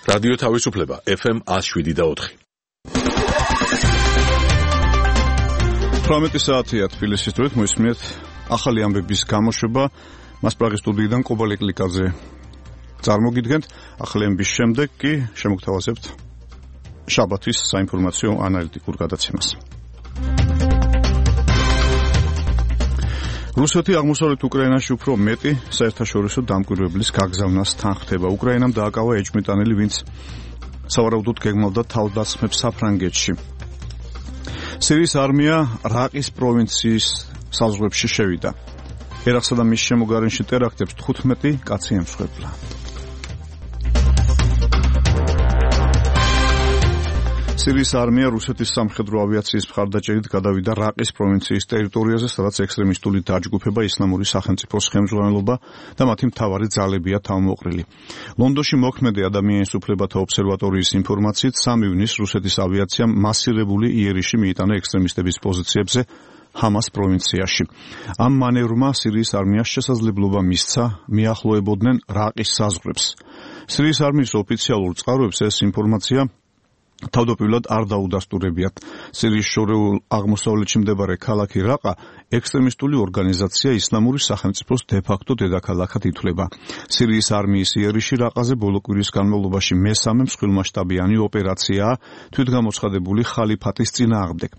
რადიო თავისუფლება FM 107.4. 18 საათია თბილისის დროით მოისმინეთ ახალი ამბების გამოშვება. მას პრაღის სტუდიიდან კობალე კლიკაძე წარმოგიდგენთ. ახალი ამბების შემდეგ კი შემოგთავაზებთ შაბათის საინფორმაციო ანალიტიკურ გადაცემას. რუსეთი აღმოსავლეთ უკრაინაში უფრო მეტი საერთაშორისო დამკვირვებლის გაგზავნას თანხმდება. უკრაინამ დააკავა ეჭვმიტანილი, ვინც სავარაუდოდ გეგმავდა თავდასხმებს საფრანგეთში. სირიის არმია რაყის პროვინციის საზღვრებში შევიდა. ერაყსა და მის შემოგარენში ტერაქტებს 15 კაცი ემსხვერპლა. სირიის არმია რუსეთის სამხედრო ავიაციის მხარდაჭერით გადავიდა რაყის პროვინციის ტერიტორიაზე, სადაც ექსტრემისტული დაჯგუფება ისლამური სახელმწიფოს ხელმძღვანელობა და მათი მთავარი ძალებია თავმოყრილი. ლონდონში მოქმედი ადამიანის უფლებათა ობსერვატორიის ინფორმაციით 3 ივნისს რუსეთის ავიაციამ მასირებული იერიში მიიტანა ექსტრემისტების პოზიციებზე ჰამას პროვინციაში. ამ მანევრმა სირიის არმიას შესაძლებლობა მისცა მიახლოებოდნენ რაყის საზღვრებს. სირიის არმიის ოფიციალურ წყაროებს ეს ინფორმაცია თავდაპირველად არ დაუდასტურებიათ. სირიის შორეულ აღმოსავლეთში მდებარე ქალაქი რაყა ექსტრემისტული ორგანიზაცია ისლამური სახელმწიფოს დე-ფაქტო დედაქალაქად ითვლება. სირიის არმიის იერიში რაყაზე ბოლო კვირის განმავლობაში მესამე მსხვილმასშტაბიანი ოპერაციაა თვითგამოცხადებული ხალიფატის წინააღმდეგ.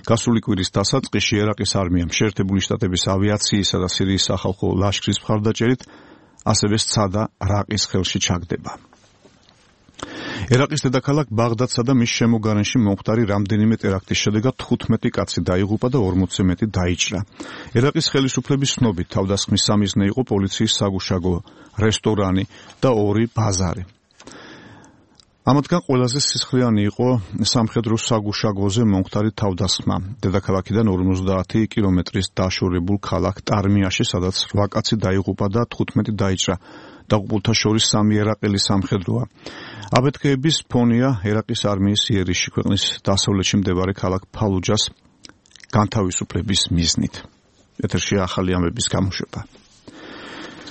გასული კვირის დასაწყისში ერაყის არმიამ შეერთებული შტატების ავიაციისა და სირიის სახალხო ლაშქრის მხარდაჭერით ასევე სცადა რაყის ხელში ჩაგდება. ერაყის დედაქალაქ ბაღდადსა და მის შემოგარენში მომხდარი რამდენიმე ტერაქტის შედეგად 15 კაცი დაიღუპა და 40-ზე მეტი დაიჭრა. ერაყის ხელისუფლების ცნობით თავდასხმის სამიზნე იყო პოლიციის საგუშაგო რესტორანი და 2 ბაზარი. ამათგან ყველაზე სისხლიანი იყო სამხედრო საგუშაგოზე მომხდარი თავდასხმა. დედაქალაქიდან 50 კილომეტრის დაშორებულ ქალაქ ტარმიაში, სადაც 8 კაცი დაიღუპა და 15 დაიჭრა. დაღუპულთა შორის 3 ერაყელი სამხედროა. აფეთქეების ფონია ერაყის არმიის იერიში ქვეყნის დასავლეთში მდებარე ქალაქ ფალუჯას განთავისუფლების მიზნით. ეთერში ახალი ამბების გამოშვება.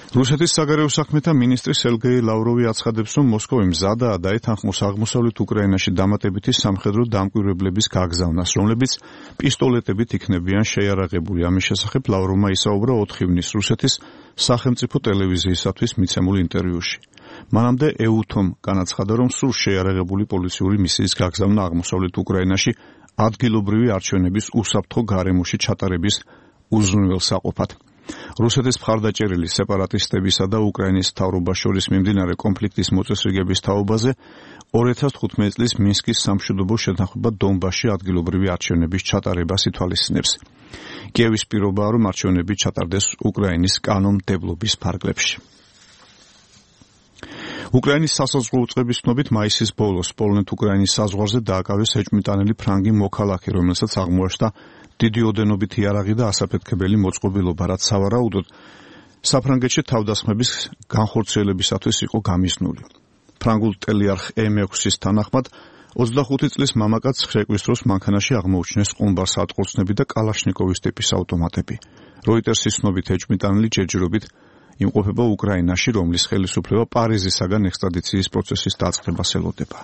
რუსეთის საგარეო საქმეთა მინისტრი სერგეი ლავროვი აცხადებს, რომ მოსკოვი მზადაა დაეთანხმოს აღმოსავლეთ უკრაინაში დამატებითი სამხედრო დამკვირვებლების გაგზავნას, რომლებიც პისტოლეტებით იქნებიან შეიარაღებული. ამის შესახებ ლავროვმა ისაუბრა 4 ივნისს რუსეთის სახელმწიფო ტელევიზიისათვის მიცემულ ინტერვიუში. მანამდე ეუთომ განაცხადა, რომ სულ შეიარაღებული პოლიციური მისიის გაგზავნა აღმოსავლეთ უკრაინაში ადგილობრივი არჩევნების უსაფრთხო გარემოში ჩატარების უზრუნველსაყოფად. რუსეთის მხარდაჭერილი სეპარატისტებისა და უკრაინის მთავრობას შორის მიმდინარე კონფლიქტის მოწესრიგების თაობაზე 2015 წლის მინსკის სამშვიდობო შეთანხმება დონბასში ადგილობრივი არჩევნების ჩატარებას ითვალისწინებს. კიევის პირობაა, რომ არჩევნები ჩატარდეს უკრაინის კანონმდებლობის ფარგლებში. უკრაინის სასაზღვრო უწყების ცნობით მაისის ბოლოს პოლონეთ-უკრაინის საზღვარზე დააკავეს ეჭვმიტანილი ფრანგი მოქალაქე, რომელსაც აღმოაჩნდა დიდი ოდენობით იარაღი და ასაფეთქებელი მოწყობილობა, რაც სავარაუდოდ საფრანგეთში თავდასხმების განხორციელებისათვის იყო გამიზნული. ფრანგულ ტელეარხ M6-ის თანახმად 25 წლის მამაკაცს შეკვრის დროს მანქანაში აღმოუჩინეს ყუმბარ სატყულცნები და კალაშნიკოვის ტიპის ავტომატები. როიტერსის ცნობით ეჭვმიტანილი ჯერჯერობით იმყოფება უკრაინაში, რომლის ხელისუფლება პარიზისაგან ექსტრადიციის პროცესის დაწყებას ელოდება.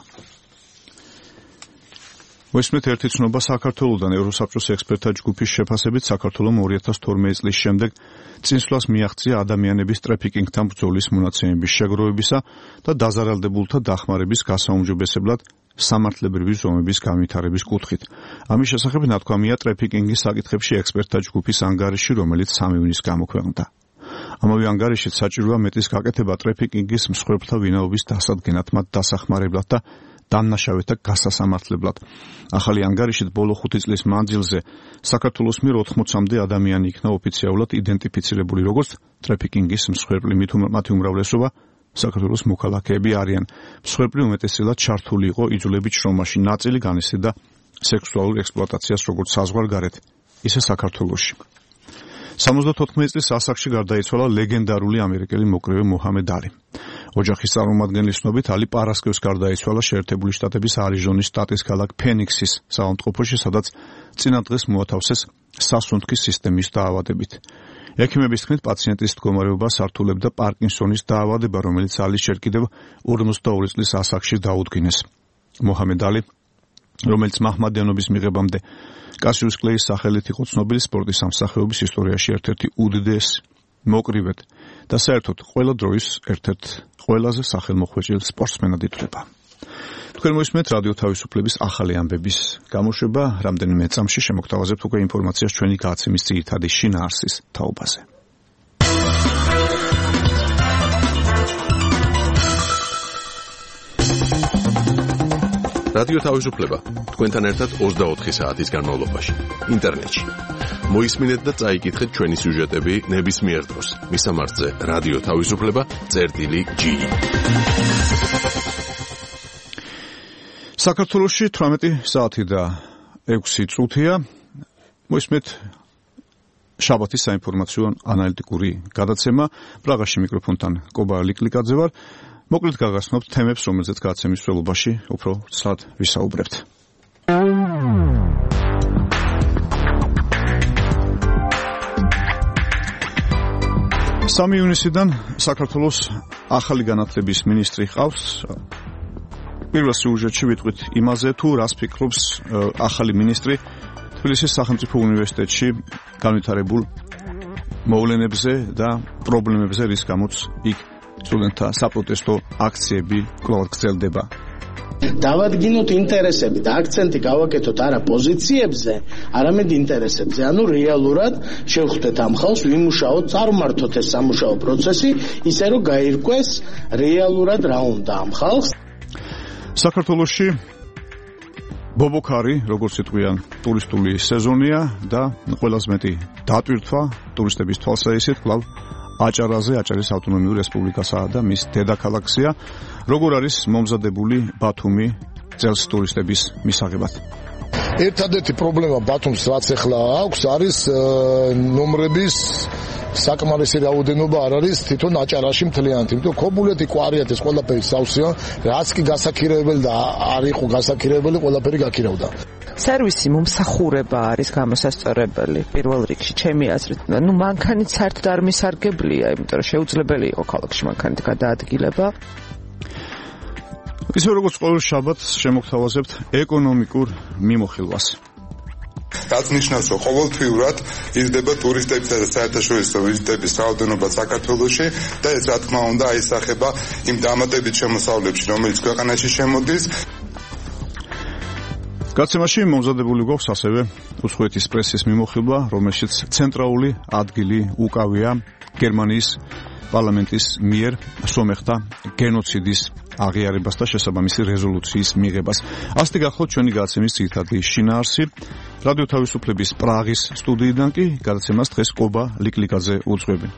მოისმენთ ერთი ცნობა საქართველოდან. ევროსაბჭოს ექსპერტთა ჯგუფის შეფასებით საქართველომ 2012 წლის შემდეგ წინსვლას მიაღწია ადამიანების ტრაფიკინგთან ბრძოლის მონაცემების შეგროვებისა და დაზარალდებულთა დახმარების გასაუმჯობესებლად სამართლებრივი ზომების განვითარების კუთხით. ამის შესახებ ნათქვამია ტრაფიკინგის საკითხებში ექსპერტთა ჯგუფის ანგარიში, რომელიც 3 ივნისს გამოქვეყნდა. ამავე ანგარიშით საჭიროა მეტის გაკეთება ტრაფიკინგის მსხვერპლთა ვინაობის დასადგენად, მათ დასახმარებლად და დამნაშავეთა გასასამართლებლად. ახალი ანგარიშით ბოლო 5 წლის მანძილზე საქართველოს მიერ 80-მდე ადამიანი იქნა ოფიციალურად იდენტიფიცირებული როგორც ტრაფიკინგის მსხვერპლი. მათი უმრავლესობა საქართველოს მოქალაქეები არიან. მსხვერპლი უმეტესწილად ჩართული იყო იძულებით შრომაში, ნაწილი განიცდიდა სექსუალურ ექსპლუატაციას როგორც საზღვარგარეთ, ისე საქართველოში. 74 წლის ასაკში გარდაიცვალა ლეგენდარული ამერიკელი მოკრევე მოჰამედ ალი. ოჯახის წარმომადგენლის ცნობით ალი პარასკევს გარდაიცვალა შეერთებული შტატების არიზონის შტატის ქალაქ ფენიქსის საავადმყოფოში, სადაც წინა დღეს მოათავსეს სასუნთქის სისტემის დაავადებით. ექიმების თქმით, პაციენტის მდგომარეობას ართულებდა პარკინსონის დაავადება, რომელიც ალისჯერ კიდევ 42 წლის ასაკში დაუდგინეს. მოჰამედ ალი, რომელიც მაჰმადიანობის მიღებამდე კასიუს კლეის სახელით იყო ცნობილი, სპორტის სამსახიობის ისტორიაში ერთ-ერთი უდიდესი, მოკრივედ და საერთოდ ყველა დროის ერთ-ერთ ყველაზე სახელმოხვეჭილ სპორტსმენად ითვლება. თქვენ მოისმენთ რადიო თავისუფლების ახალი ამბების გამოშვება, რამდენიმე წამში შემოგთავაზებთ უკვე ინფორმაციას ჩვენი გადაცემის ძირითადი შინაარსის თაობაზე. რადიო თავისუფლება თქვენთან ერთად 24 საათის განმავლობაში ინტერნეტში. მოისმინეთ და წაიკითხეთ ჩვენი სიუჟეტები ნებისმიერ დროს. მისამართზე რადიო თავისუფლება.gi. საქართველოში 18 საათი და 6 წუთია. მოისმენთ შაბათის საინფორმაციო ანალიტიკური გადაცემა. პრაღაში მიკროფონთან კობა ლიკლიკაძე ვარ. მოკლედ გაგაცნობთ თემებს, რომელზეც გადაცემის მსვლელობაში უფრო ცალად ვისაუბრებთ. 3 ივნისიდან საქართველოს ახალი განათლების მინისტრი ჰყავს. პირველ სიუჟეტში ვიტყვით იმაზე, თუ რას ფიქრობს ახალი მინისტრი თბილისის სახელმწიფო უნივერსიტეტში განვითარებულ მოვლენებზე და პრობლემებზე, რის გამოც იქ სტუდენტთა საპროტესტო აქციები კვლავ გრძელდება. დავადგინოთ ინტერესები და აქცენტი გავაკეთოთ არა პოზიციებზე, არამედ ინტერესებზე. ანუ რეალურად შევხვდეთ ამ ხალხს, ვიმუშაოთ, წარმართოთ ეს სამუშაო პროცესი, ისე რომ გაირკვეს რეალურად რა უნდა ამ ხალხს. საქართველოში ბობოქარი, როგორც იტყვიან, ტურისტული სეზონია და ყველაზე მეტი დატვირთვა ტურისტების თვალსაჩინოდ კვლავ აჭარაზე, აჭარის ავტონომიურ რესპუბლიკასა და მის დედაქალაქზეა. როგორ არის მომზადებული ბათუმი წელს ტურისტების მისაღებად? ერთადერთი პრობლემა ბათუმს რაც ახლა აქვს არის ნომრების საკმარისი რაოდენობა არ არის თვითონ აჭარაში მთლიანად, იმიტომ ქობულეთი კვარიათ ეს ყველაფერი სავსეა, რაც კი გასაქირებელი და არ იყო გასაქირებელი, ყველაფერი გაქირავდა. სერვისი მომსახურება არის გამოსასწორებელი პირველ რიგში, ჩემი აზრით. მანქანით საერთოდ არ მისარგებლია, იმიტომ რომ შეუძლებელი იყო ქალაქში მანქანით გადაადგილება. ისე როგორც ყოველ შაბათს შემოგთავაზებთ ეკონომიკურ მიმოხილვას. რაც ნიშნავს, რომ ყოველთვიურად იზრდება ტურისტებისა და საერთაშორისო ვიზიტების რაოდენობა საქართველოში და ეს რა თქმა უნდა აისახება იმ დამატებით შემოსავლებში, რომელიც ქვეყანაში შემოდის. გადაცემაში მომზადებული გვაქვს ასევე უცხოეთის პრესის მიმოხილვა, რომელშიც ცენტრალური ადგილი უკავია გერმანიის პარლამენტის მიერ სომეხთა გენოციდის აღიარებას და შესაბამისი რეზოლუციის მიღებას. ასეთი გახლავთ ჩვენი გადაცემის ძირითადი შინაარსი. რადიო თავისუფლების პრაღის სტუდიიდან კი გადაცემას დღეს კობა ლიკლიკაძე უძღვები.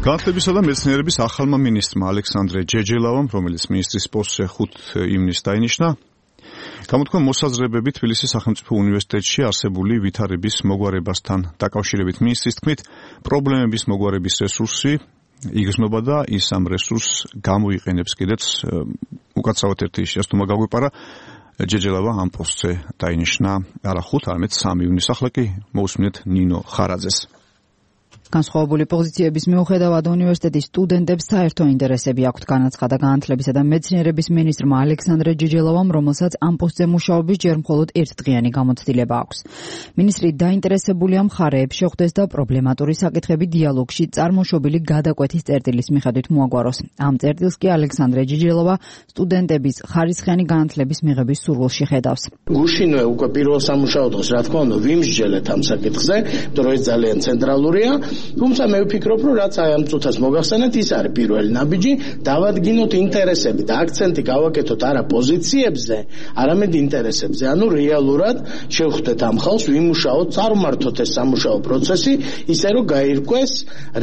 განათლებისა და მეცნიერების ახალმა მინისტრმა ალექსანდრე ჯეჯელავამ, რომელიც მინისტრის პოსტზე 5 ივნისს დაინიშნა, გამოთქვა მოსაზრებები თბილისის სახელმწიფო უნივერსიტეტში არსებული ვითარების მოგვარებასთან დაკავშირებით. მინისტრის თქმით, პრობლემების მოგვარების რესურსი იგრძნობა და ის ამ რესურსს გამოიყენებს კიდეც. უკაცრავად ერთი შეცდომა გაგვეპარა, ჯეჯელავა ამ პოსტზე დაინიშნა არა 5, არამედ 3 ივნისს. ახლა კი მოусმინეთ ნინო ხარაძეს. განსხვავებული პოზიციების მიუხედავად უნივერსიტეტის სტუდენტებს საერთო ინტერესები აქვთ, განაცხადა განათლებისა და მეცნიერების მინისტრმა ალექსანდრე ჯეჯელავამ, რომელსაც ამ პოსტზე მუშაობის ჯერ მხოლოდ ერთდღიანი გამოცდილება აქვს. მინისტრი დაინტერესებულია მხარეებს შეხვდეს და პრობლემატური საკითხები დიალოგში წარმოშობილი გადაკვეთის წერტილის მიხედვით მოაგვაროს. ამ წერტილს კი ალექსანდრე ჯეჯელავა სტუდენტების ხარისხიანი განათლების მიღების სურვილში ხედავს. გუშინვე უკვე პირველ სამუშაო დღეს, რა თქმა უნდა, ვიმსჯელეთ ამ საკითხზე, იმიტომ რომ ეს ძალიან ცენტრალურია. თუმცა მე ვფიქრობ, რომ რაც აი ამ წუთას მოგახსენეთ, ის არის პირველი ნაბიჯი, დავადგინოთ ინტერესები და აქცენტი გავაკეთოთ არა პოზიციებზე, არამედ ინტერესებზე. ანუ რეალურად შევხვდეთ ამ ხალხს, ვიმუშაოთ, წარმართოთ ეს სამუშაო პროცესი, ისე რომ გაირკვეს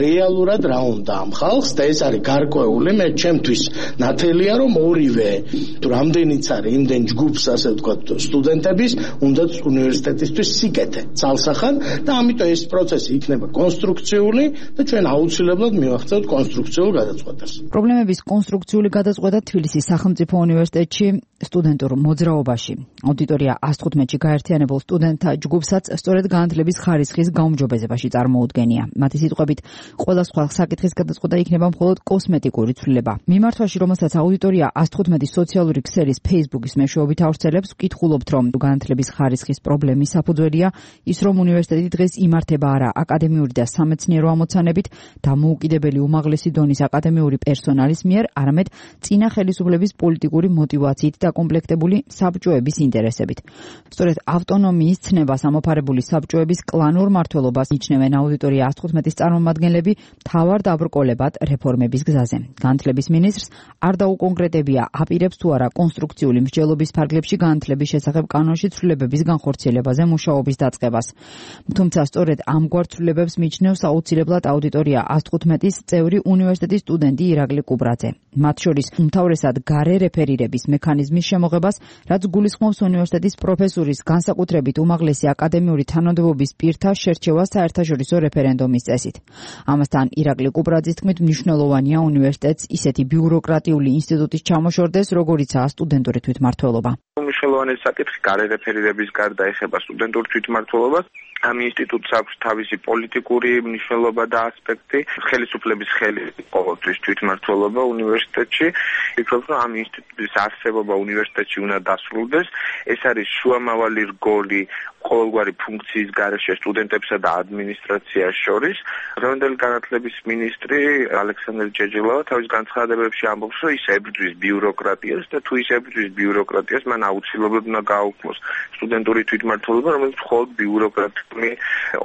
რეალურად რა უნდა ამ ხალხს და ეს არის გარკვეული, მე ჩემთვის ნათელია, რომ ორივე თუ რამდენიც არის იმდენ ჯგუფს, ასე ვთქვათ, სტუდენტების, უნდაც უნივერსიტეტისთვის სიკეთე, ცალსახად და ამიტომ ეს პროცესი იქნება კონსტრუქციული კონსტრუქციული და ჩვენ აუცილებლად მივახცევთ კონსტრუქციულ გადაწყვეტას. პრობლემების კონსტრუქციული გადაწყვეტა თბილისის სახელმწიფო უნივერსიტეტში სტუდენტურ მოძრაობაში. აუდიტორია 115-ში გაერთიანებულ სტუდენტთა ჯგუფსაც სწორედ განათლების ხარისხის გაუმჯობესებაში წარმოუდგენია. მათი სიტყვებით, ყველა სხვა საკითხის გადაწყვეტა იქნება მხოლოდ კოსმეტიკური ცვლილება. მიმართვაში, რომელსაც აუდიტორია 115 სოციალური ქსელის Facebook-ის მეშვეობით ავრცელებს, ვკითხულობთ, რომ განათლების ხარისხის პრობლემის საფუძველია ის, რომ უნივერსიტეტი დღეს იმართება არა აკადემიური და სამეცნიერო ამოცანებით, დამოუკიდებელი უმაღლესი დონის აკადემიური პერსონალის მიერ, არამედ წინა ხელისუფლების პოლიტიკური მოტივაციით დაკომპლექტებული საბჭოების ინტერესებით. სწორედ ავტონომიის ცნებას ამოფარებული საბჭოების კლანურ მმართველობას ნიშნევენ აუდიტორია 115-ის წარმომადგენლები მთავარ დაბრკოლებად რეფორმების გზაზე. განათლების მინისტრს არ დაუკონკრეტებია, აპირებს თუ არა კონსტრუქციული მსჯელობის ფარგლებში განათლების შესახებ კანონში ცვლილებების განხორციელებაზე მუშაობის დაწყებას. თუმცა სწორედ ამგვარ ცვლილებებს მიჩნევს აუცილებლად აუდიტორია 115-ის წევრი უნივერსიტეტის სტუდენტი ირაკლი კუბრაძე. მათ შორის უმთავრესად გარე რეფერირების მექანიზმის შემოღებას, რაც გულისხმობს უნივერსიტეტის პროფესურის განსაკუთრებით უმაღლესი აკადემიური თანამდებობის პირთა შერჩევას საერთაშორისო რეფერენდუმის წესით. ამასთან ირაკლი კუბრაძის თქმით, მნიშვნელოვანია უნივერსიტეტს ისეთი ბიუროკრატიული ინსტიტუტის ჩამოშორდეს, როგორიცაა სტუდენტური თვითმმართველობა. მნიშვნელოვანი საკითხი გარე რეფერირების გარდა ეხება სტუდენტურ თვითმმართველობას. ამ ინსტიტუტს აქვს თავისი პოლიტიკური მნიშვნელობა და ასპექტი. ხელისუფლების ხელი ყოველთვის თვითმმართველობა უნივერსიტეტში. ვფიქრობ, რომ ამ ინსტიტუტის არსებობა უნივერსიტეტში უნდა დასრულდეს. ეს არის შუამავალი რგოლი ყოველგვარი ფუნქციის გარეშე სტუდენტებსა და ადმინისტრაციას შორის. დღევანდელი განათლების მინისტრი ალექსანდრე ჯეჯელავა თავის განცხადებებში ამბობს, რომ ის ებრძვის ბიუროკრატიას და თუ ის ებრძვის ბიუროკრატიას, მან აუცილებლად უნდა გააუქმოს სტუდენტური თვითმმართველობა, რომელიც მხოლოდ ბიუროკრატიული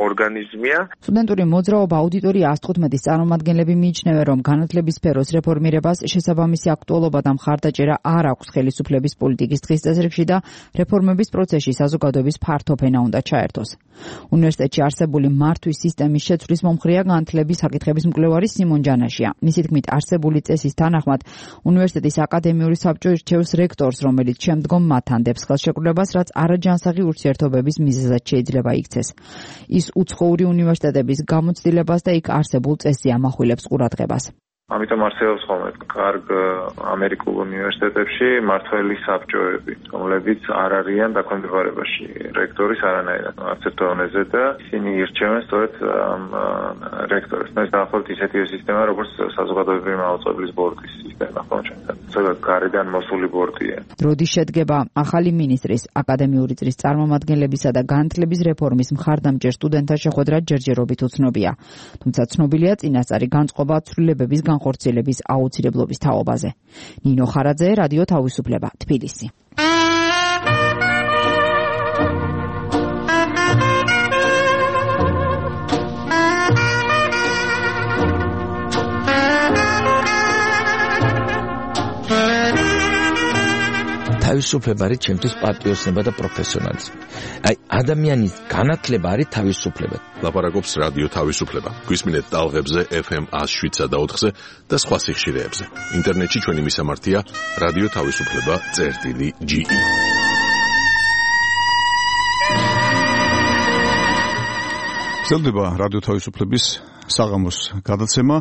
ორგანიზმია. სტუდენტური მოძრაობა აუდიტორია 115-ის წარმომადგენლები მიიჩნევენ, რომ განათლების სფეროს რეფორმირებას შესაბამისი აქტუალობა და მხარდაჭერა არ აქვს ხელისუფლების პოლიტიკის დღის წესრიგში და რეფორმების პროცესში საზოგადოების ფართო ფენა უნდა ჩაერთოს. უნივერსიტეტში არსებული მართვის სისტემის შეცვლის მომხრეა განათლების საკითხების მკვლევარი სიმონ ჯანაშია. მისი თქმით, არსებული წესის თანახმად უნივერსიტეტის აკადემიური საბჭო ირჩევს რექტორს, რომელიც შემდგომ მათთან დებს ხელშეკრულებას, რაც არაჯანსაღი ურთიერთობების მიზეზად შეიძლება იქცეს. ის უცხოური უნივერსიტეტების გამოცდილებას და იქ არსებულ წესზე ამახვილებს ყურადღებას. ამიტომ არსებობს ხოლმე კარგ ამერიკულ უნივერსიტეტებში მმართველი საბჭოები, რომლებიც არ არიან დაქვემდებარებაში რექტორის არანაირად არც ერთ დონეზე და ისინი ირჩევენ სწორედ რექტორს. ეს დაახლოებით ისეთივე სისტემა, როგორც საზოგადოებრივი მაუწყებლის ბორდის სისტემა, ხო ჩვენთან. სწორედ გარედან მოსული ბორდია. დროდის შედგება ახალი მინისტრის, აკადემიური წრის წარმომადგენლებისა და განათლების რეფორმის მხარდამჭერ სტუდენტთა შეხვედრა ჯერჯერობით უცნობია. თუმცა ცნობილია წინასწარი განწყობა ცვლილებების განხორციელების აუცილებლობის თაობაზე. ნინო ხარაძე, რადიო თავისუფლება, თბილისი. თავისუფლება არის ჩემთვის პატრიოტიზმი და პროფესიონალიზმი. აი, ადამიანის განათლება არის თავისუფლება. ლაპარაკობს რადიო თავისუფლება. გვისმინეთ ტალღებზე FM 107 და 4-ზე და სხვა სიხშირეებზე. ინტერნეტში ჩვენი მისამართია რადიო თავისუფლება.ge. გრძელდება რადიო თავისუფლების საღამოს გადაცემა.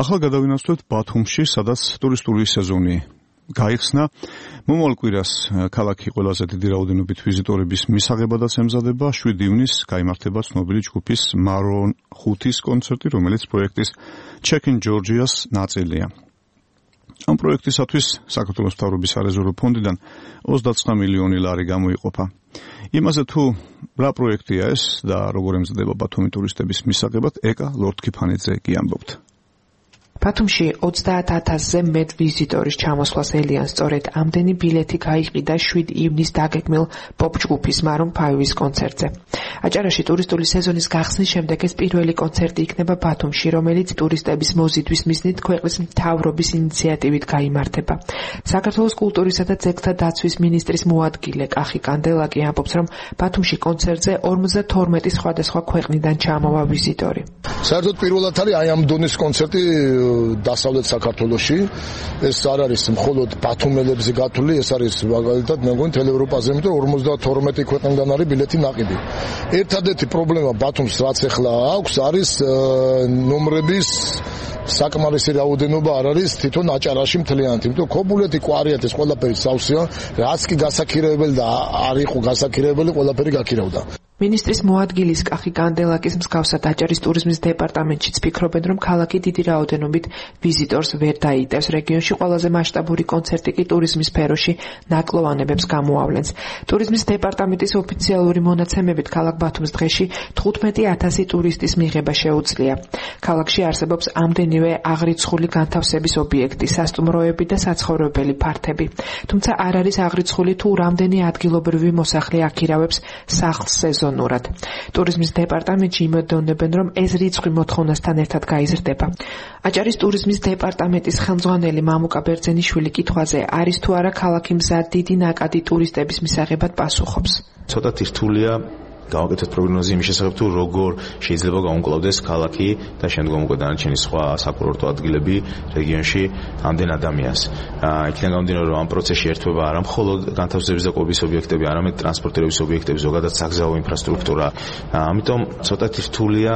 ახლა გადავინაცვლებთ ბათუმში, სადაც ტურისტული სეზონი გაიხსნა. მომავალ კვირას ქალაქი ყველაზე დიდი რაოდენობით ვიზიტორების მისაღებადაც ემზადება. 7 ივნისს გაიმართება ცნობილი ჯგუფის Maroon 5-ის კონცერტი, რომელიც პროექტის Check in Georgia-ს ნაწილია. ამ პროექტისათვის საქართველოს მთავრობის სარეზერვო ფონდიდან 29 მილიონი ლარი გამოიყოფა. იმაზე თუ რა პროექტია ეს და როგორ ემზადება ბათუმი ტურისტების მისაღებად, ეკა ლორდქიფანიძე კი ამბობთ. ბათუმში 30,000-ზე მეტ ვიზიტორის ჩამოსვლას ელიან სწორედ ამდენი ბილეთი გაიყიდა 7 ივნისს დაგეგმილ პოპ ჯგუფის Maroon 5-ის კონცერტზე. აჭარაში ტურისტული სეზონის გახსნის შემდეგ ეს პირველი კონცერტი იქნება ბათუმში, რომელიც ტურისტების მოზიდვის მიზნით ქვეყნის მთავრობის ინიციატივით გაიმართება. საქართველოს კულტურისა და ძეგლთა დაცვის მინისტრის მოადგილე კახი კანდელაკი ამბობს, რომ ბათუმში კონცერტზე 52 სხვადასხვა ქვეყნიდან ჩამოვა ვიზიტორი. საერთოდ პირველად არის აი ამ დონის კონცერტი დასავლეთ საქართველოში. ეს არ არის მხოლოდ ბათუმელებზე გათვლილი, ეს არის მაგალითად მე მგონი თელ ევროპაზე, იმიტომ 52 ქვეყნიდან არის ბილეთი ნაყიდი. ერთადერთი პრობლემა ბათუმს რაც ახლა აქვს არის ნომრების საკმარისი რაოდენობა არ არის თვითონ აჭარაში მთლიანად, იმიტომ ქობულეთი კვარიათ ეს ყველაფერი სავსეა, რაც კი გასაქირავებელი და არ იყო გასაქირავებელი, ყველაფერი გაქირავდა. მინისტრის მოადგილის კახი კანდელაკის მსგავსად აჭარის ტურიზმის დეპარტამენტშიც ფიქრობენ, რომ ქალაქი დიდი რაოდენობით ვიზიტორს ვერ დაიტევს. რეგიონში ყველაზე მასშტაბური კონცერტი კი ტურიზმის სფეროში ნაკლოვანებებს გამოავლენს. ტურიზმის დეპარტამენტის ოფიციალური მონაცემებით ქალაქ ბათუმს დღეში 15,000 ტურისტის მიღება შეუძლია. ქალაქში არსებობს ამდენივე აღრიცხული განთავსების ობიექტი, სასტუმროები და საცხოვრებელი ფართები. თუმცა არ არის აღრიცხული თუ რამდენი ადგილობრივი მოსახლე აქირავებს სახლს სეზონურად. ტურიზმის დეპარტამენტში იმედოვნებენ, რომ ეს რიცხვი მოთხოვნასთან ერთად გაიზრდება. აჭარის ტურიზმის დეპარტამენტის ხელმძღვანელი მამუკა ბერძენიშვილი კითხვაზე, არის თუ არა ქალაქი მზად დიდი ნაკადი ტურისტების მისაღებად პასუხობს. ცოტათი რთულია გავაკეთოთ პროგნოზი იმის შესახებ თუ როგორ შეიძლება გაუმკლავდეს ქალაქი და შემდგომ უკვე დანარჩენი სხვა საკურორტო ადგილები რეგიონში ამდენ ადამიანს. იქიდან გამომდინარე, რომ ამ პროცესში ერთვება არა მხოლოდ განთავსების და კვების ობიექტები, არამედ ტრანსპორტირების ობიექტები, ზოგადად საგზაო ინფრასტრუქტურა. ამიტომ ცოტათი რთულია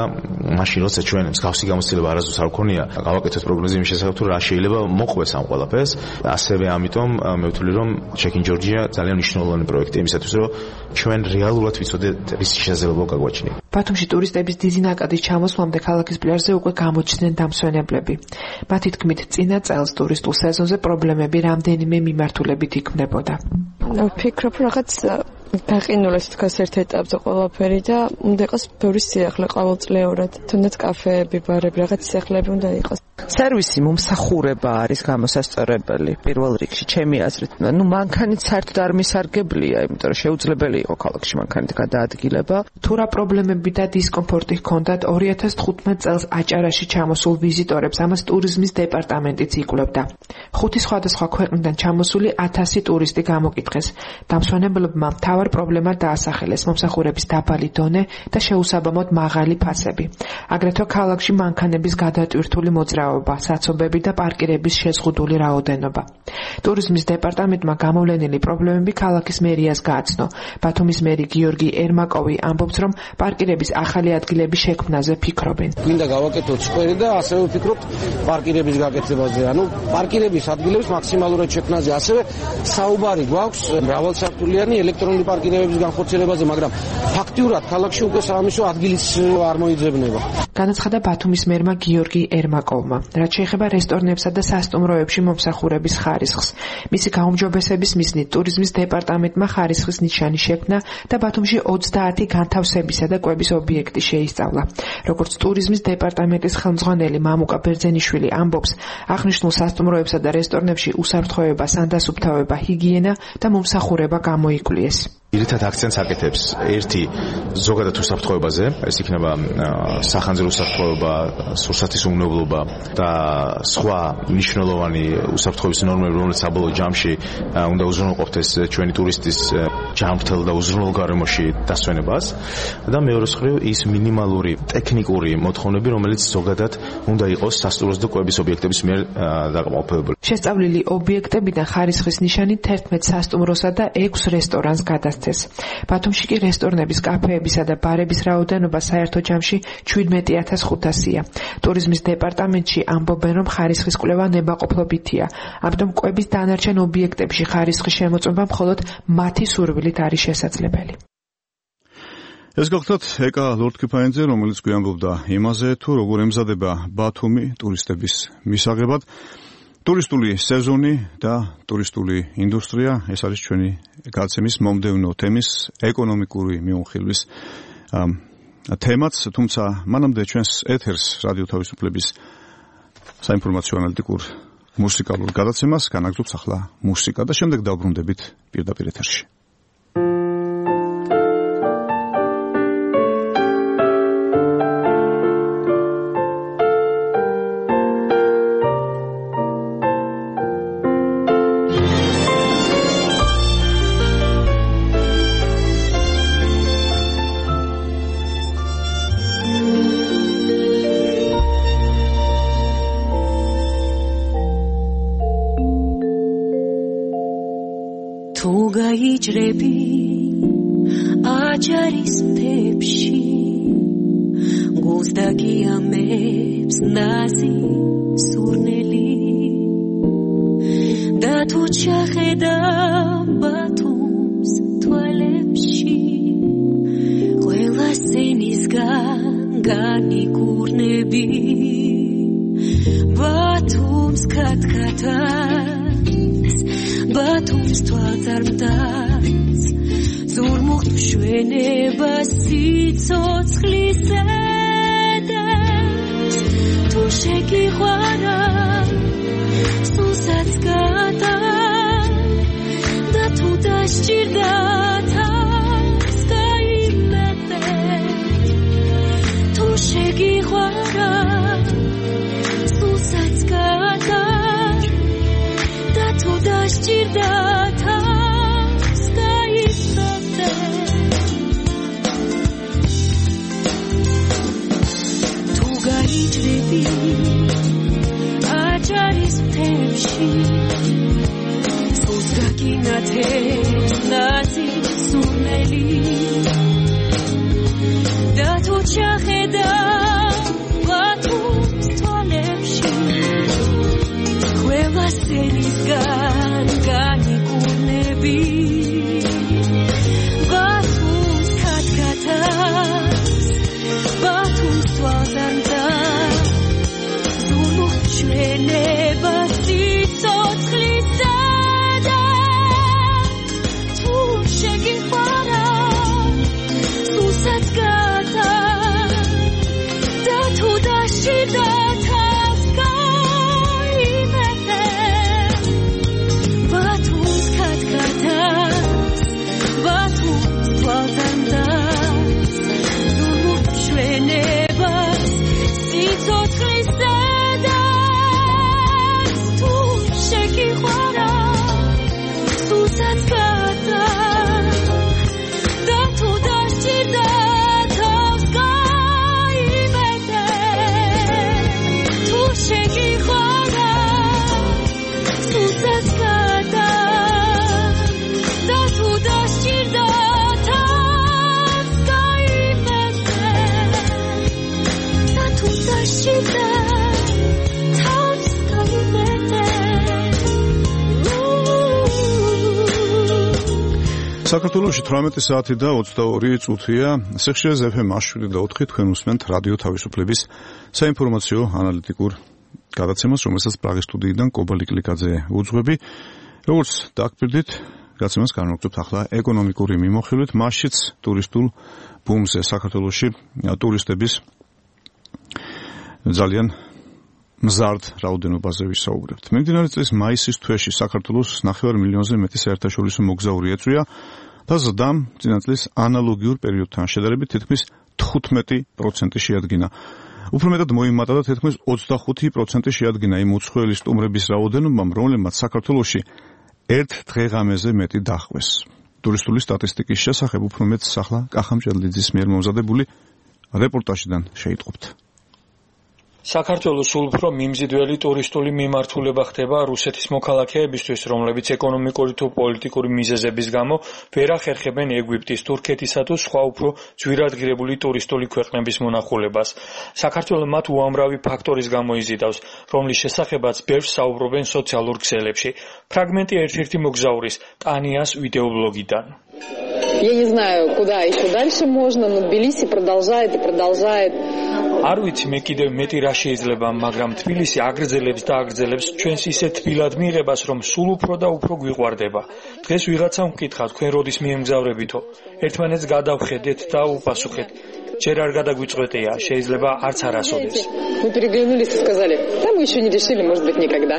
მაშინ, როცა ჩვენ მსგავსი გამოცდილება არასდროს არ გქონია, გავაკეთოთ პროგნოზი იმის შესახებ თუ რა შეიძლება მოყვეს ამ ყველაფერს. ასევე ამიტომ მე ვთვლი, რომ Check in Georgia ძალიან მნიშვნელოვანი პროექტი იმისათვის, რომ ჩვენ რეალურად ვიცოდეთ შესაძლებლობა გაგვაჩნია. ბათუმში ტურისტების დიდი ნაკადის ჩამოსვლამდე ქალაქის პლაჟზე უკვე გამოჩნდნენ დამსვენებლები. მათი თქმით, წინა წელს ტურისტულ სეზონზე პრობლემები რამდენიმე მიმართულებით იქმნებოდა. ვფიქრობ, რაღაც გაყინულეს თქოს ერთ ეტაპზე ყველაფერი და უნდა იყოს ბევრი სიახლე ყოველწლიურად. თუნდაც კაფეები, ბარები, რაღაც სიახლეები უნდა იყოს. სერვისი მომსახურება არის გამოსასწორებელი პირველ რიგში, ჩემი აზრით. მანქანით საერთოდ არ მისარგებლია, იმიტომ რომ შეუძლებელი იყო ქალაქში მანქანით გადაადგილება. თუ რა პრობლემები და დისკომფორტი ჰქონდათ 2015 წელს აჭარაში ჩამოსულ ვიზიტორებს, ამას ტურიზმის დეპარტამენტიც იკვლევდა. 5 სხვადასხვა ქვეყნიდან ჩამოსული 1000 ტურისტი გამოკითხეს. დამსვენებლებმა მთავარ პრობლემად დაასახელეს მომსახურების დაბალი დონე და შეუსაბამოდ მაღალი ფასები. აგრეთვე ქალაქში მანქანების გადატვირთული მოძრაობა, საცობები და პარკირების შეზღუდული რაოდენობა. ტურიზმის დეპარტამენტმა გამოვლენილი პრობლემები ქალაქის მერიას გააცნო. ბათუმის მერი გიორგი ერმაკოვი ამბობს, რომ პარკირების ახალი ადგილების შექმნაზე ფიქრობენ. გვინდა გავაკეთოთ სკვერი და ასევე ვფიქრობთ პარკირების გაკეთებაზე. პარკირების ადგილების მაქსიმალურად შექმნაზე. ასევე საუბარი გვაქვს მრავალსართულიანი ელექტრონული პარკირებების განხორციელებაზე, მაგრამ ფაქტიურად ქალაქში უკვე სამისო ადგილიც არ მოიძებნება. განაცხადა ბათუმის მერმა გიორგი ერმაკოვმა. რაც შეეხება რესტორნებსა და სასტუმროებში მომსახურების ხარისხს, მისი გაუმჯობესების მიზნით ტურიზმის დეპარტამენტმა ხარისხის ნიშანი შექმნა და ბათუმში 30 განთავსებისა და კვების ობიექტი შეისწავლა. როგორც ტურიზმის დეპარტამენტის ხელმძღვანელი მამუკა ბერძენიშვილი ამბობს, აღნიშნულ სასტუმროებსა და რესტორნებში უსაფრთხოება, სანდასუფთავება, ჰიგიენა და მომსახურება გამოიკვლიეს. Ირითად აქცენტს აკეთებს ერთი ზოგადად უსაფრთხოებაზე, ეს იქნება სახანძრო უსაფრთხოება, სურსათის უმნებლობა და სხვა მნიშვნელოვანი უსაფრთხოების ნორმები, რომელიც საბოლოო ჯამში უნდა უზრუნველყოფდეს ჩვენი ტურისტის ჯანმრთელ და უზრუნველ გარემოში დასვენებას და მეორე მხრივ ის მინიმალური ტექნიკური მოთხოვნები, რომელიც ზოგადად უნდა იყოს სასტუმროს და კვების ობიექტების მიერ დაკმაყოფილებული. შესწავლილი ობიექტებიდან ხარისხის ნიშანი 11 სასტუმროსა და 6 რესტორანს გადასცეს. ბათუმში კი რესტორნების, კაფეებისა და ბარების რაოდენობა საერთო ჯამში 17,500-ია. ტურიზმის დეპარტამენტში ამბობენ, რომ ხარისხის კვლევა ნებაყოფლობითია. ამიტომ კვების დანარჩენ ობიექტებში ხარისხის შემოწმება მხოლოდ მათი სურვილით არის შესაძლებელი. ეს გახლავთ ეკა ლორდ-კიფაინძე, რომელიც გვიამბობდა იმაზე, თუ როგორ ემზადება ბათუმი ტურისტების მისაღებად. ტურისტული სეზონი და ტურისტული ინდუსტრია, ეს არის ჩვენი გადაცემის მომდევნო თემის ეკონომიკური მიმოხილვის თემაც, თუმცა მანამდე ჩვენს ეთერს რადიო თავისუფლების საინფორმაციო ანალიტიკურ მუსიკალურ გადაცემას განაგრძობს ახლა მუსიკა და შემდეგ დავბრუნდებით პირდაპირ ეთერში. გაიჭრები აჯარის მთებში გულს დაგიამებს ნაზი სურნელი და თუ ჩახედავ ბათუმს თვალებში ყველა სენისგან განიკურნები ბათუმს ქათქათას ბათუმს თვალწარმტაც ზურმუხტ მშვენება სიცოცხლის ზედებს თუ შეგიყვარა სულსაც გადა და თუ დასჭირდა თავს გაიმეტე თუ შეგიყვარა სულსაც გადა და თუ დასჭირდა თავს გაიმეტე თუ გაიჭრები აჯარის მთებში სულს გაგინათებს ნაზი სურნელი და თუ ჩახედავ ბათუმს თვალებში ყველა სენისგან განიკურნები ბათუმს ქათქათას ბათუმს თვალზარმტაც ზურმუხტ მშვენება სიცოცხლის ზედებს თუ შეგიყვარა სულსაც გადა და თუ დასჭირდა თავს გაიმეტე ბათუმს ქათქათას ბათუმს თვალზარმტაც ზურმუხტ მშვენებას სიცოცხლის ზედებს თუ შეგიყვარა სულსაც გადა და თუ დასჭირდა თავს გაიმეტე თუ შეგიყვარა სულსაც გადა და თუ დასჭირდა თავს გაიმეტე და თუ დასჭირდა თავს გაიმეტე საქართველოში 18 საათი და 22 წუთია. სიხშირეს FM 107.4 თქვენ უსმენთ რადიო თავისუფლების საინფორმაციო ანალიტიკურ გადაცემას, რომელსაც პრაღის სტუდიიდან კობა ლიკლიკაძე უძღვები. როგორც დაგპირდით, გადაცემას განვაგრძობთ ახლა ეკონომიკური მიმოხილვით, მასშიც ტურისტულ ბუმზე საქართველოში ტურისტების ძალიან მზარდ რაოდენობაზე ვისაუბრებთ. მიმდინარე წლის მაისის თვეში საქართველოს 9 მილიონზე მეტი საერთაშორისო მოგზაური ეწვია და ზრდამ წინა წლის ანალოგიურ პერიოდთან შედარებით თითქმის 15% შეადგინა. უფრო მეტად მოიმატა და თითქმის 25% შეადგინა იმ უცხოელი სტუმრების რაოდენობამ, რომლებმაც საქართველოში ერთ დღეღამეზე მეტი დახვეს. ტურისტული სტატისტიკის შესახებ უფრო მეტს ახლა კახა მჭედლიძის მიერ მომზადებული რეპორტაჟიდან შეიტყობთ. საქართველოს სულ უფრო მიმზიდველი ტურისტული მიმართულება ხდება რუსეთის მოქალაქეებისთვის, რომლებიც ეკონომიკური თუ პოლიტიკური მიზეზების გამო ვერ ახერხებენ ეგვიპტის, თურქეთისა თუ სხვა უფრო ძვირადღირებული ტურისტული ქვეყნების მონახულებას. საქართველო მათ უამრავი ფაქტორის გამო იზიდავს, რომლის შესახებაც ბევრს საუბრობენ სოციალურ ქსელებში. ფრაგმენტი ერთ-ერთი მოგზაურის, ტანიას ვიდეობლოგიდან. Я не знаю, куда еще дальше можно, но Тбилиси продолжает и продолжает. არ ვიცი მე კიდევ მეტი რა შეიძლება, მაგრამ თბილისი აგრძელებს და აგრძელებს ჩვენს ისეთ თბილად მიღებას, რომ სულ უფრო და უფრო გვიყვარდება. დღეს ვიღაცამ ვკითხა, თქვენ როდის მიემგზავრებითო? ერთმანეთს გადავხედეთ და უპასუხეთ. ჯერ არ გადაგვიწყვეტია, შეიძლება არც არასოდეს. Мы переглянулись и сказали: "Да мы еще не решили, может быть, никогда".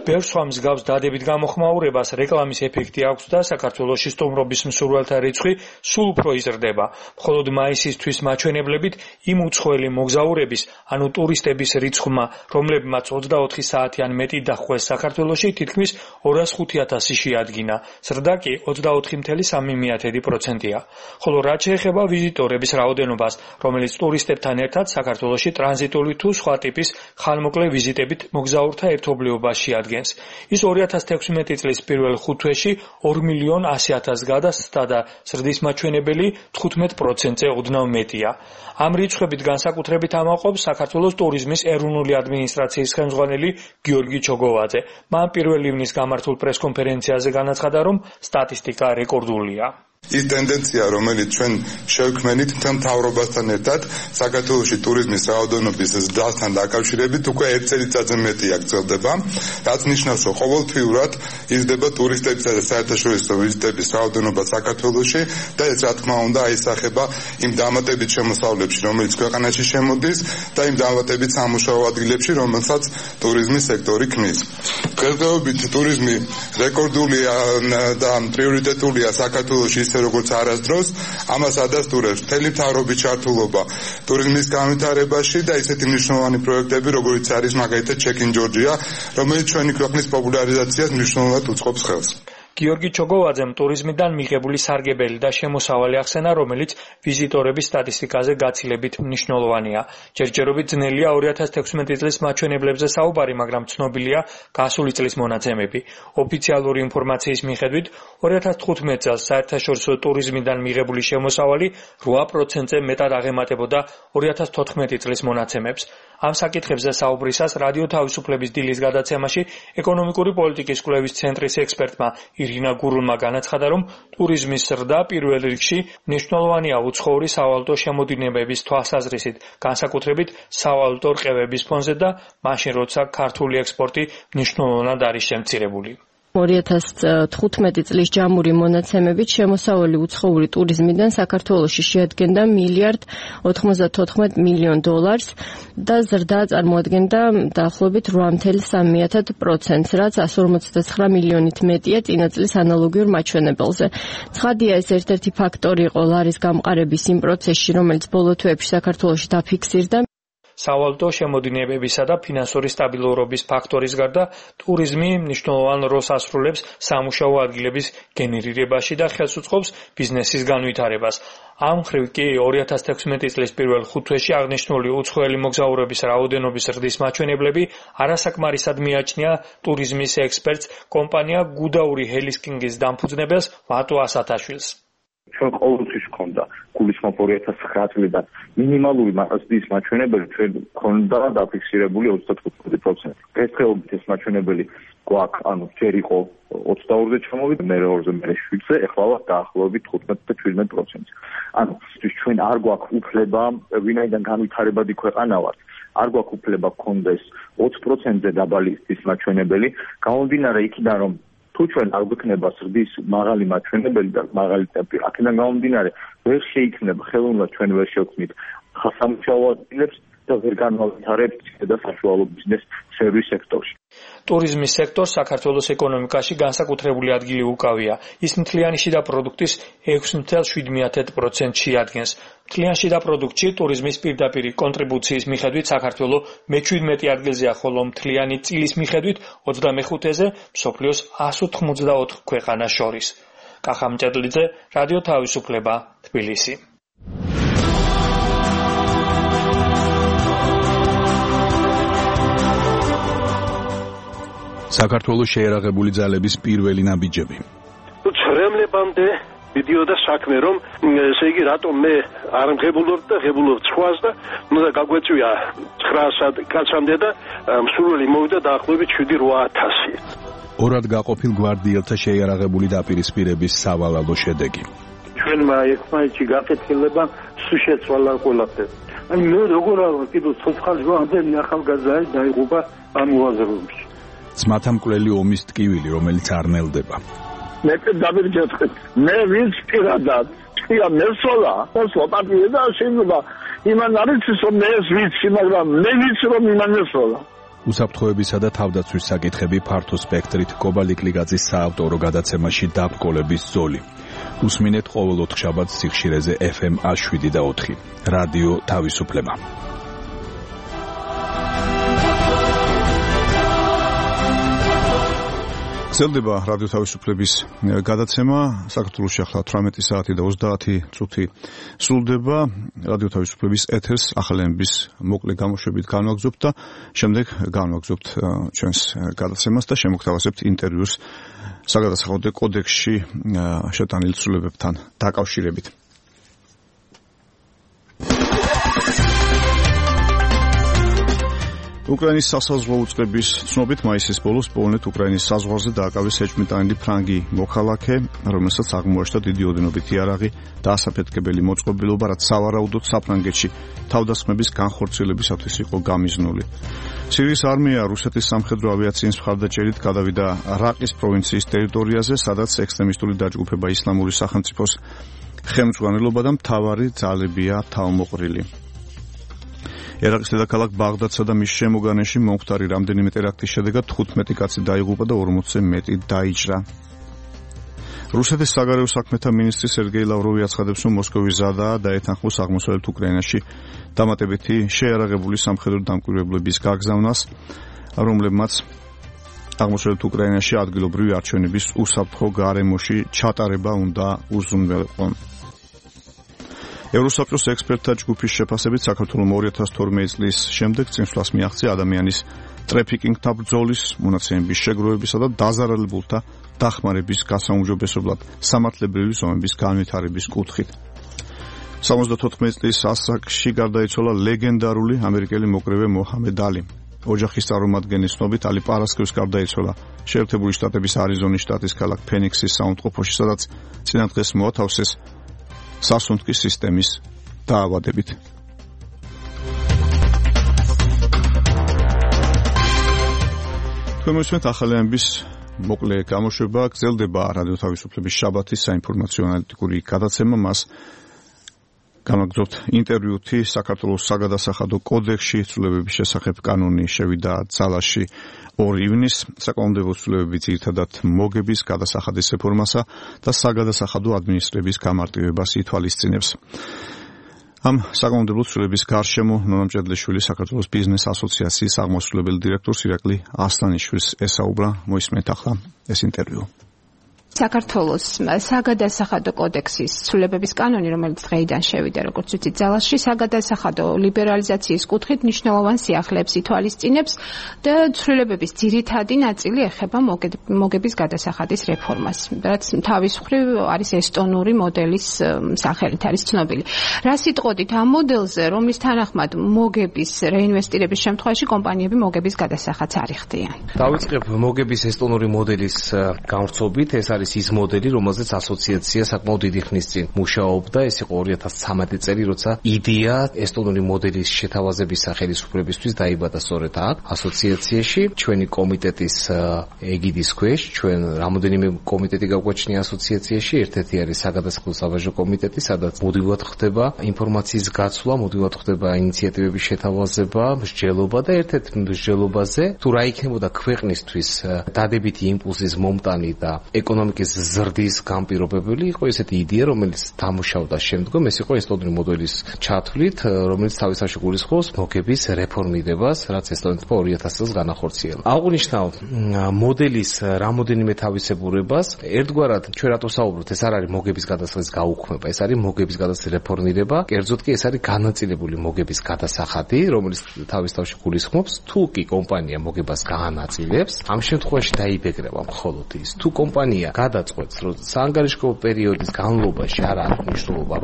ბევრ სხვა მსგავს დადებით გამოხმაურებას რეკლამის ეფექტი აქვს და საქართველოში სტუმრობის მსურველთა რიცხვი სულ უფრო იზრდება. მხოლოდ მაისისთვის მაჩვენებლებით იმ უცხოელი მოგზაურების, ანუ ტურისტების რიცხვმა, რომლებმაც 24 საათი ან მეტი დახვეს საქართველოში, თითქმის 205,000 შეადგინა. ზრდა კი 24,3%-ია. ხოლო რაც შეეხება ვიზიტორების რაოდენობას, რომელიც ტურისტებთან ერთად საქართველოში ტრანზიტული თუ სხვა ტიპის ხანმოკლე ვიზიტებით მოგზაურთა ერთობლიობას შეადგენს, ადგენს. ის 2016 წლის პირველ 5 თვეში 2.100.000 გადასცდა და ზრდის მაჩვენებელი 15%-ზე ოდნავ მეტია. ამ რიცხვებით განსაკუთრებით ამაყობს საქართველოს ტურიზმის ეროვნული ადმინისტრაციის ხელმძღვანელი გიორგი ჩოგოვაძე. მან 1 ივნის გამართულ პრესკონფერენციაზე განაცხადა, რომ სტატისტიკა რეკორდულია. ის ტენდენცია, რომელიც ჩვენ შევქმნით მთელ მთავრობასთან ერთად, საქართველოში ტურიზმის რაოდენობის ზრდასთან დაკავშირებით უკვე 1 წელიწადზე მეტი გრძელდება, რაც ნიშნავს, რომ ყოველთვიურად იზრდება ტურისტებისა და საერთაშორისო ვიზიტების რაოდენობა საქართველოში და ეს რა თქმა უნდა აისახება იმ დამატებით შემოსავლებში, რომელიც ქვეყანაში შემოდის და იმ დამატებით სამუშაო ადგილებში, რომელსაც ტურიზმის სექტორი ქმნის. დღესდღეობით ტურიზმი რეკორდულია და პრიორიტეტულია საქართველოში ისე როგორც არასდროს, ამას ადასტურებს მთელი მთავრობის ჩართულობა ტურიზმის განვითარებაში და ისეთი მნიშვნელოვანი პროექტები, როგორიც არის მაგალითად Check-in Georgia, რომელიც ჩვენი ქვეყნის პოპულარიზაციას მნიშვნელოვნად უწყობს ხელს. გიორგი ჩოგოვაძემ ტურიზმიდან მიღებული სარგებელი და შემოსავალი ახსენა, რომელიც ვიზიტორების სტატისტიკაზე გაცილებით მნიშვნელოვანია. ჯერჯერობით ძნელია 2016 წლის მაჩვენებლებზე საუბარი, მაგრამ ცნობილია გასული წლის მონაცემები. ოფიციალური ინფორმაციის მიხედვით 2015 წელს საერთაშორისო ტურიზმიდან მიღებული შემოსავალი 8%-ზე მეტად აღემატებოდა 2014 წლის მონაცემებს. ამ საკითხებზე საუბრისას რადიო თავისუფლების დილის გადაცემაში ეკონომიკური პოლიტიკის კვლევის ცენტრის ექსპერტმა ირინა გურულმა განაცხადა, რომ ტურიზმის ზრდა პირველ რიგში მნიშვნელოვანია უცხოური სავალუტო შემოდინებების თვალსაზრისით, განსაკუთრებით სავალუტო რყევების ფონზე და მაშინ, როცა ქართული ექსპორტი მნიშვნელოვნად არის შემცირებული. 2015 წლის ჯამური მონაცემებით შემოსავალი უცხოური ტურიზმიდან საქართველოში შეადგენდა $1.94 მილიარდ და ზრდა წარმოადგენდა დაახლოებით 8.3%, რაც 159 მილიონით მეტია წინა წლის ანალოგიურ მაჩვენებელზე. ცხადია, ეს ერთ-ერთი ფაქტორი იყო ლარის გამყარების იმ პროცესში, რომელიც ბოლო თვეებში საქართველოში დაფიქსირდა. სავალუტო შემოდინებებისა და ფინანსური სტაბილურობის ფაქტორის გარდა ტურიზმი მნიშვნელოვან როლს ასრულებს სამუშაო ადგილების გენერირებაში და ხელს უწყობს ბიზნესის განვითარებას. ამ მხრივ კი 2016 წლის პირველ 5 თვეში აღნიშნული უცხოელი მოგზაურების რაოდენობის ზრდის მაჩვენებლები არასაკმარისად მიაჩნია ტურიზმის ექსპერტს კომპანია გუდაური ჰელისკინგის დამფუძნებელს ვატო ასათაშვილს. ჩვენ ყოველთვის გვქონდა გულისხმობ 2009 წლიდან მინიმალური ზრდის მაჩვენებელი ჩვენ გვქონდა დაფიქსირებული 35%. დღესდღეობით ეს მაჩვენებელი გვაქვს, ანუ ჯერ იყო 22-ზე ჩამოვიდა, მე 2-ზე, მე 7-ზე, ეხლა დაახლოებით 15 და 17%. ანუ ჩვენ არ გვაქვს უფლება, ვინაიდან განვითარებადი ქვეყანა ვართ, არ გვაქვს უფლება გქონდეს 20%-ზე დაბალი ზრდის მაჩვენებელი, გამომდინარე იქიდან, რომ თუ ჩვენ არ გვექნება ზრდის მაღალი მაჩვენებელი და მაღალი ტემპი, აქედან გამომდინარე ვერ შეიქმნება ხელოვნურად ჩვენ ვერ შევქმნით სამუშაო ადგილებს და ვერ განვითარებთ და საშუალო ბიზნეს სერვის სექტორში. ტურიზმის სექტორს საქართველოს ეკონომიკაში განსაკუთრებული ადგილი უკავია. ის მთლიანი შიდა პროდუქტის 6.7%-ს შეადგენს. მთლიან შიდა პროდუქტში ტურიზმის პირდაპირი კონტრიბუციის მიხედვით საქართველო მე-17 ადგილზეა, ხოლო მთლიანი წილის მიხედვით 25-ზე მსოფლიოს 184 ქვეყანას შორის. კახა მჭედლიძე, რადიო თავისუფლება, თბილისი. საქართველოს შეერაღებული ძალების პირველი ნაბიჯები. ცრემლებამდე მიდიოდა საქმე, რომ ესე იგი რატომ მე არ მღებულობ და ღებულობ სხვას და უნდა გაგვეწვია 900 კაცამდე და მსურველი მოვიდა დაახლოებით 7-8000. ორად გაყოფილ გვარდიელთა შეიარაღებული დაპირისპირების სავალალო შედეგი. ჩვენმა ერთმანეთში გაკეთილება სულ შეცვალა ყველაფერი. აი მე როგორ არა კიდევ ცოცხალი ამდენი ახალგაზრდა დაიღუპა ამ უაზროებში. ძმათა მკვლელი ომის ტკივილი, რომელიც არ ნელდება. მე დავირჯეთქეთ. მე ვინც პირადად თქვია მესოლა, ხოსო პარტია და შეიძლება იმან არის რომ მე ვიცი, მაგრამ მე ვიცი რომ იმან მესოლა. უსაფრთხოებისა და თავდაცვის საკითხები ფართო სპექტრით კობალიკლიგაძის საავტორო გადაცემაში დაბრკოლების ზოლი. უსმინეთ ყოველ 4 შაბათს სიხშირეზე FM 107 და 4. რადიო თავისუფლება. გრძელდება რადიო თავისუფლების გადაცემა. საქართველოში ახლა 18 საათი და 30 წუთი სრულდება. რადიო თავისუფლების ეთერს ახალენების მოკლე გამოშვებით განვაგრძობთ და შემდეგ განვაგრძობთ ჩვენს გადაცემას და შემოგთავაზებთ ინტერვიუს საგადასახადო კოდექსში შეტანილ ცვლილებებთან დაკავშირებით. უკრაინის სასაზღვრო უწყების ცნობით მაისის ბოლოს პოლონეთ-უკრაინის საზღვარზე დააკავეს ეჭვმიტანილი ფრანგი მოქალაქე, რომელსაც აღმოაჩნდა დიდი ოდენობითი იარაღი და ასაფეთქებელი მოწყობილობა, რაც სავარაუდოდ საფრანგეთში თავდასხმების განხორციელებისათვის იყო გამიზნული. სირიის არმია რუსეთის სამხედრო ავიაციის მხარდაჭერით გადავიდა რაყის პროვინციის ტერიტორიაზე, სადაც ექსტრემისტული დაჯგუფება ისლამური სახელმწიფოს ხელმძღვანელობა და მთავარი ძალებია თავმოყრილი. ერაყის დედაქალაქ ბაღდადსა და მის შემოგარენში მომხდარი რამდენიმე ტერაქტის შედეგად 15 კაცი დაიღუპა და 40-ზე მეტი დაიჭრა. რუსეთის საგარეო საქმეთა მინისტრი სერგეი ლავროვი აცხადებს, რომ მოსკოვი ზადაა დაეთანხმოს აღმოსავლეთ უკრაინაში დამატებითი შეიარაღებული სამხედრო დამკვირვებლების გაგზავნას, რომლებმაც აღმოსავლეთ უკრაინაში ადგილობრივი არჩევნების უსაფრთხო გარემოში ჩატარება უნდა უზრუნველყონ. ევროსაბჭოს ექსპერტთა ჯგუფის შეფასებით საქართველოს 2012 წლის შემდეგ წინსვლას მიაღწია ადამიანის ტრაფიკინგთან ბრძოლის, მონაცემების შეგროვებისა და დაზარალებულთა დახმარების გასაუმჯობესებლად სამართლებრივი ზომების განვითარების კუთხით. 74 წლის ასაკში გარდაიცვალა ლეგენდარული ამერიკელი მოკრევე მოჰამედ ალი. ოჯახის წარმომადგენლის ცნობით ალი პარასკევს გარდაიცვალა შეერთებული შტატების არიზონის შტატის ქალაქ ფენიქსის საუნდტროფოში, სადაც წინა დღეს მოათავსეს სასუნთქის სისტემის დაავადებით. თქვენ მოსმენთ ახალენების მოკლე გამოშვება. გრძელდება რადიო თავისუფლების შაბათის საინფორმაციო ანალიტიკური გადაცემა. მას განვაგრძობთ ინტერვიუთი საქართველოს საგადასახადო კოდექსში ცვლილებების შესახებ კანონი შევიდა ძალაში 2 ივნისს. საკანონმდებლო ცვლილებები ძირითადად მოგების გადასახადის რეფორმასა და საგადასახადო ადმინისტრების გამარტივებას ითვალისწინებს. ამ საკანონმდებლო ცვლილების გარშემო ნონა მჭედლიშვილი საქართველოს ბიზნეს ასოციაციის აღმასრულებელი დირექტორს ირაკლი ასლანიშვილს ესაუბრა. მოისმენთ ახლა ეს ინტერვიუ. საქართველოს საგადასახადო კოდექსის ცვლილებების კანონი, რომელიც დღეიდან შევიდა, როგორც ვიცით, ძალაში საგადასახადო ლიბერალიზაციის კუთხით მნიშვნელოვან სიახლეებს ითვალისწინებს და ცვლილებების ძირითადი ნაწილი ეხება მოგების გადასახადის რეფორმას, რაც თავის მხრივ არის ესტონური მოდელის სახელით არის ცნობილი. რა სიტყვით ამ მოდელზე, რომლის თანახმად მოგების რეინვესტირების შემთხვევაში კომპანიები მოგების გადასახადს არ იხდიან. დავიწყებ მოგების ესტონური მოდელის განვრცობით. ეს არის ის მოდელი, რომელზეც ასოციაცია საკმაოდ დიდი ხნის წინ მუშაობდა. ეს იყო 2013 წელი, როცა იდეა ესტონური მოდელის შეთავაზების სახელმწიფოებისთვის დაიბადა სწორედ აქ, ასოციაციაში. ჩვენი კომიტეტის ეგიდის ქვეშ, ჩვენ რამოდენიმე კომიტეტი გაგვაჩნია ასოციაციაში. ერთ-ერთი არის საგადასახადო საბაჟო კომიტეტი, სადაც მუდმივად ხდება ინფორმაციის გაცვლა, მუდმივად ხდება ინიციატივების შეთავაზება, მსჯელობა და ერთ-ერთ მსჯელობაზე თუ რა იქნებოდა ქვეყნისთვის დადებითი იმპულსის მომტანი და ეკონომიკის ზრდის განპირობებელი იყო ესეთი იდეა, რომელიც დამუშავდა შემდგომ, ეს იყო ესტონური მოდელის ჩათვლით, რომელიც თავისთავად გულისხმობს მოგების რეფორმირებას, რაც ესტონეთმა 2000 წელს განახორციელა. აღნიშნავ მოდელის რამოდენიმე თავისებურებას. ერთგვარად ჩვენ რატო საუბრობთ, ეს არ არის მოგების გადასახადის გაუქმება, ეს არის მოგების გადასახადის რეფორმირება, კერძოდ კი ეს არის განაწილებული მოგების გადასახადი, რომელიც თავისთავად გულისხმობს, თუ კი კომპანია მოგებას გაანაწილებს, ამ შემთხვევაში დაიბეგრება მხოლოდ ის, თუ კომპანია გადაწყვეტს, რომ საანგარიშგო პერიოდის განმავლობაში არ აქვს მნიშვნელობა,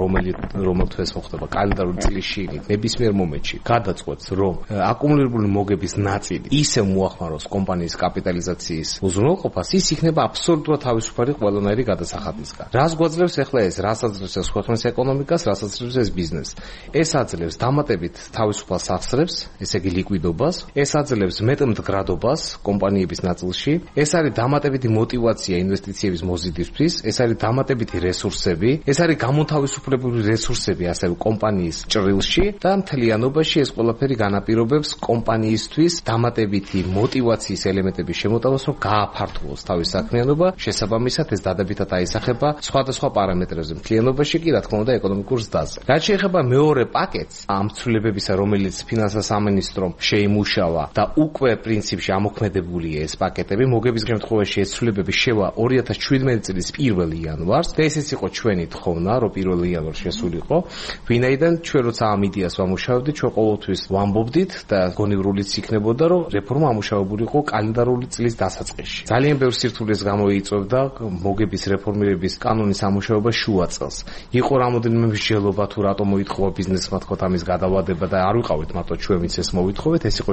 რომელ თვეს მოხდება კალენდარული წლის შიგნით, ნებისმიერ მომენტში გადაწყვეტს, რომ აკუმულირებული მოგების ნაწილი ისევ მოახმაროს კომპანიის კაპიტალიზაციის უზრუნველყოფას, ის იქნება აბსოლუტურად თავისუფალი ყველანაირი გადასახადისგან. რას გვაძლევს ახლა ეს? რას აძლევს ეს ქვეყნის ეკონომიკას, რას აძლევს ეს ბიზნესს? ეს აძლევს დამატებით თავისუფალ სახსრებს, ესე იგი ლიკვიდობას, ეს აძლევს მეტმდგრადობას კომპანიების ნაწილში, ეს არის დამატებითი мотивация ინვესტიცია ინვესტიციების მოზიდვისთვის, ეს არის დამატებითი რესურსები, ეს არის გამოთავისუფლებული რესურსები ასევე კომპანიის ჭრილში და მთლიანობაში ეს ყველაფერი განაპირობებს კომპანიისთვის დამატებითი мотиваციის ელემენტების შემოტევას, რომ გააფართოვოს თავის საქმიანობა, შესაბამისად ეს დადებითად აისახება სხვადასხვა პარამეტრებზე, მთლიანობაში კი რა თქმა უნდა ეკონომიკურ ზრდაზე. რაც შეეხება მეორე პაკეტს, ამ ცვლილებებისა, რომელიც ფინანსთა სამინისტრომ შეიმუშავა და უკვე პრინციპში ამოქმედებულია ეს პაკეტები, მოგების შემთხვევაში ეს ცვლილებები შევა 2017 წლის 1 იანვარს და ესეც იყო ჩვენი თხოვნა, რომ 1 იანვარს შესულიყო, ვინაიდან ჩვენ როცა ამ იდეას ვამუშავებდით, ჩვენ ყოველთვის ვამბობდით და გონივრულიც იქნებოდა, რომ რეფორმა ამუშავებულიყო კალენდარული წლის დასაწყისში. ძალიან ბევრ სირთულეს გამოიწვევდა მოგების რეფორმირების კანონის ამუშავება შუა წელს. იყო რამოდენიმე მსჯელობა თუ რატომ მოითხოვა ბიზნესმა თქო ამის გადავადება და არ ვიყავით მარტო ჩვენ ვინც ეს მოვითხოვეთ, ეს იყო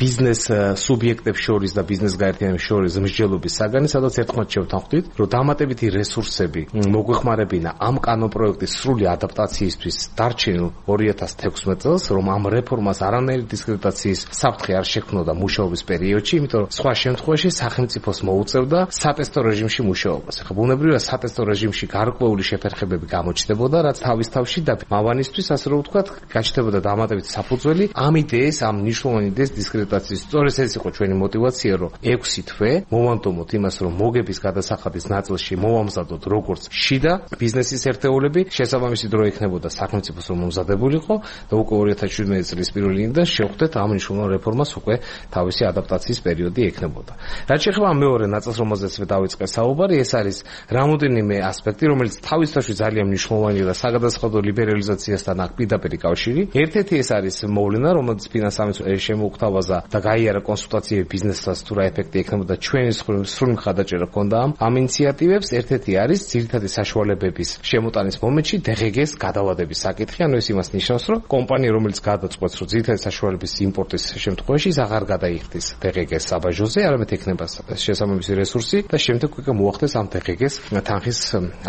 ბიზნეს სუბიექტებს შორის და ბიზნეს გაერთიანების შორის მსჯელობის საგანი, სადაც ერთხმად შევთანხმდით, რომ დამატებითი რესურსები მოგვეხმარებინა ამ კანონპროექტის სრული ადაპტაციისთვის დარჩენილ 2016 წელს, რომ ამ რეფორმას არანაირი დისკრედიტაციის საფრთხე არ შექმნოდა მუშაობის პერიოდში, იმიტომ რომ სხვა შემთხვევაში სახელმწიფოს მოუწევდა სატესტო რეჟიმში მუშაობას. ახლა ბუნებრივია სატესტო რეჟიმში გარკვეული შეფერხებები გამოჩნდებოდა, რაც თავის თავში და მავანისთვის, ასე რომ ვთქვათ, გაჩნდებოდა დამატებითი საფუძველი ამ იდეის, ამ მნიშვნელოვანი იდეის დისკრედიტაციის. სწორედ ეს იყო ჩვენი мотиваცია, რომ 6 თვე მოვანდომოთ იმას, რომ მოგების გადასახადის ნაწილში მოვამზადოთ როგორც შიდა ბიზნესის ერთეულები, შესაბამისი დრო იქნებოდა სახელმწიფოს რომ მომზადებულიყო და უკვე 2017 წლის 1 იანვრიდან შევხვდეთ ამ მნიშვნელოვან რეფორმას უკვე თავისი ადაპტაციის პერიოდი ექნებოდა. რაც შეეხება მეორე ნაწილს, რომელზეც დავიწყე საუბარი, ეს არის რამოდენიმე ასპექტი, რომელიც თავის თავში ძალიან მნიშვნელოვანია და საგადასახადო ლიბერალიზაციასთან აქვს პირდაპირ კავშირი. ერთ-ერთი ეს არის მოვლენა, რომელიც ფინანსთა სამინისტრომ შემოუხთავაზა და გაიარა კონსულტაციები ბიზნესსაც თუ რა ეფექტი ექნებოდა ჩვენი სრული მხარდაჭერა ჰქონდა ამ ინიციატივებს. ერთ-ერთი არის ძირითადი საშუალებების შემოტანის მომენტში DGG-ს გადავადების საკითხი, ანუ ეს იმას ნიშნავს, რომ კომპანია, რომელიც გადაწყვეტს, რომ ძირითადი საშუალების იმპორტის შემთხვევაში ის აღარ გადაიხდის DGG-ს საბაჟოზე, არამედ ექნება შესაბამისი რესურსი და შემდეგ უკვე მოახდეს ამ DGG-ს თანხის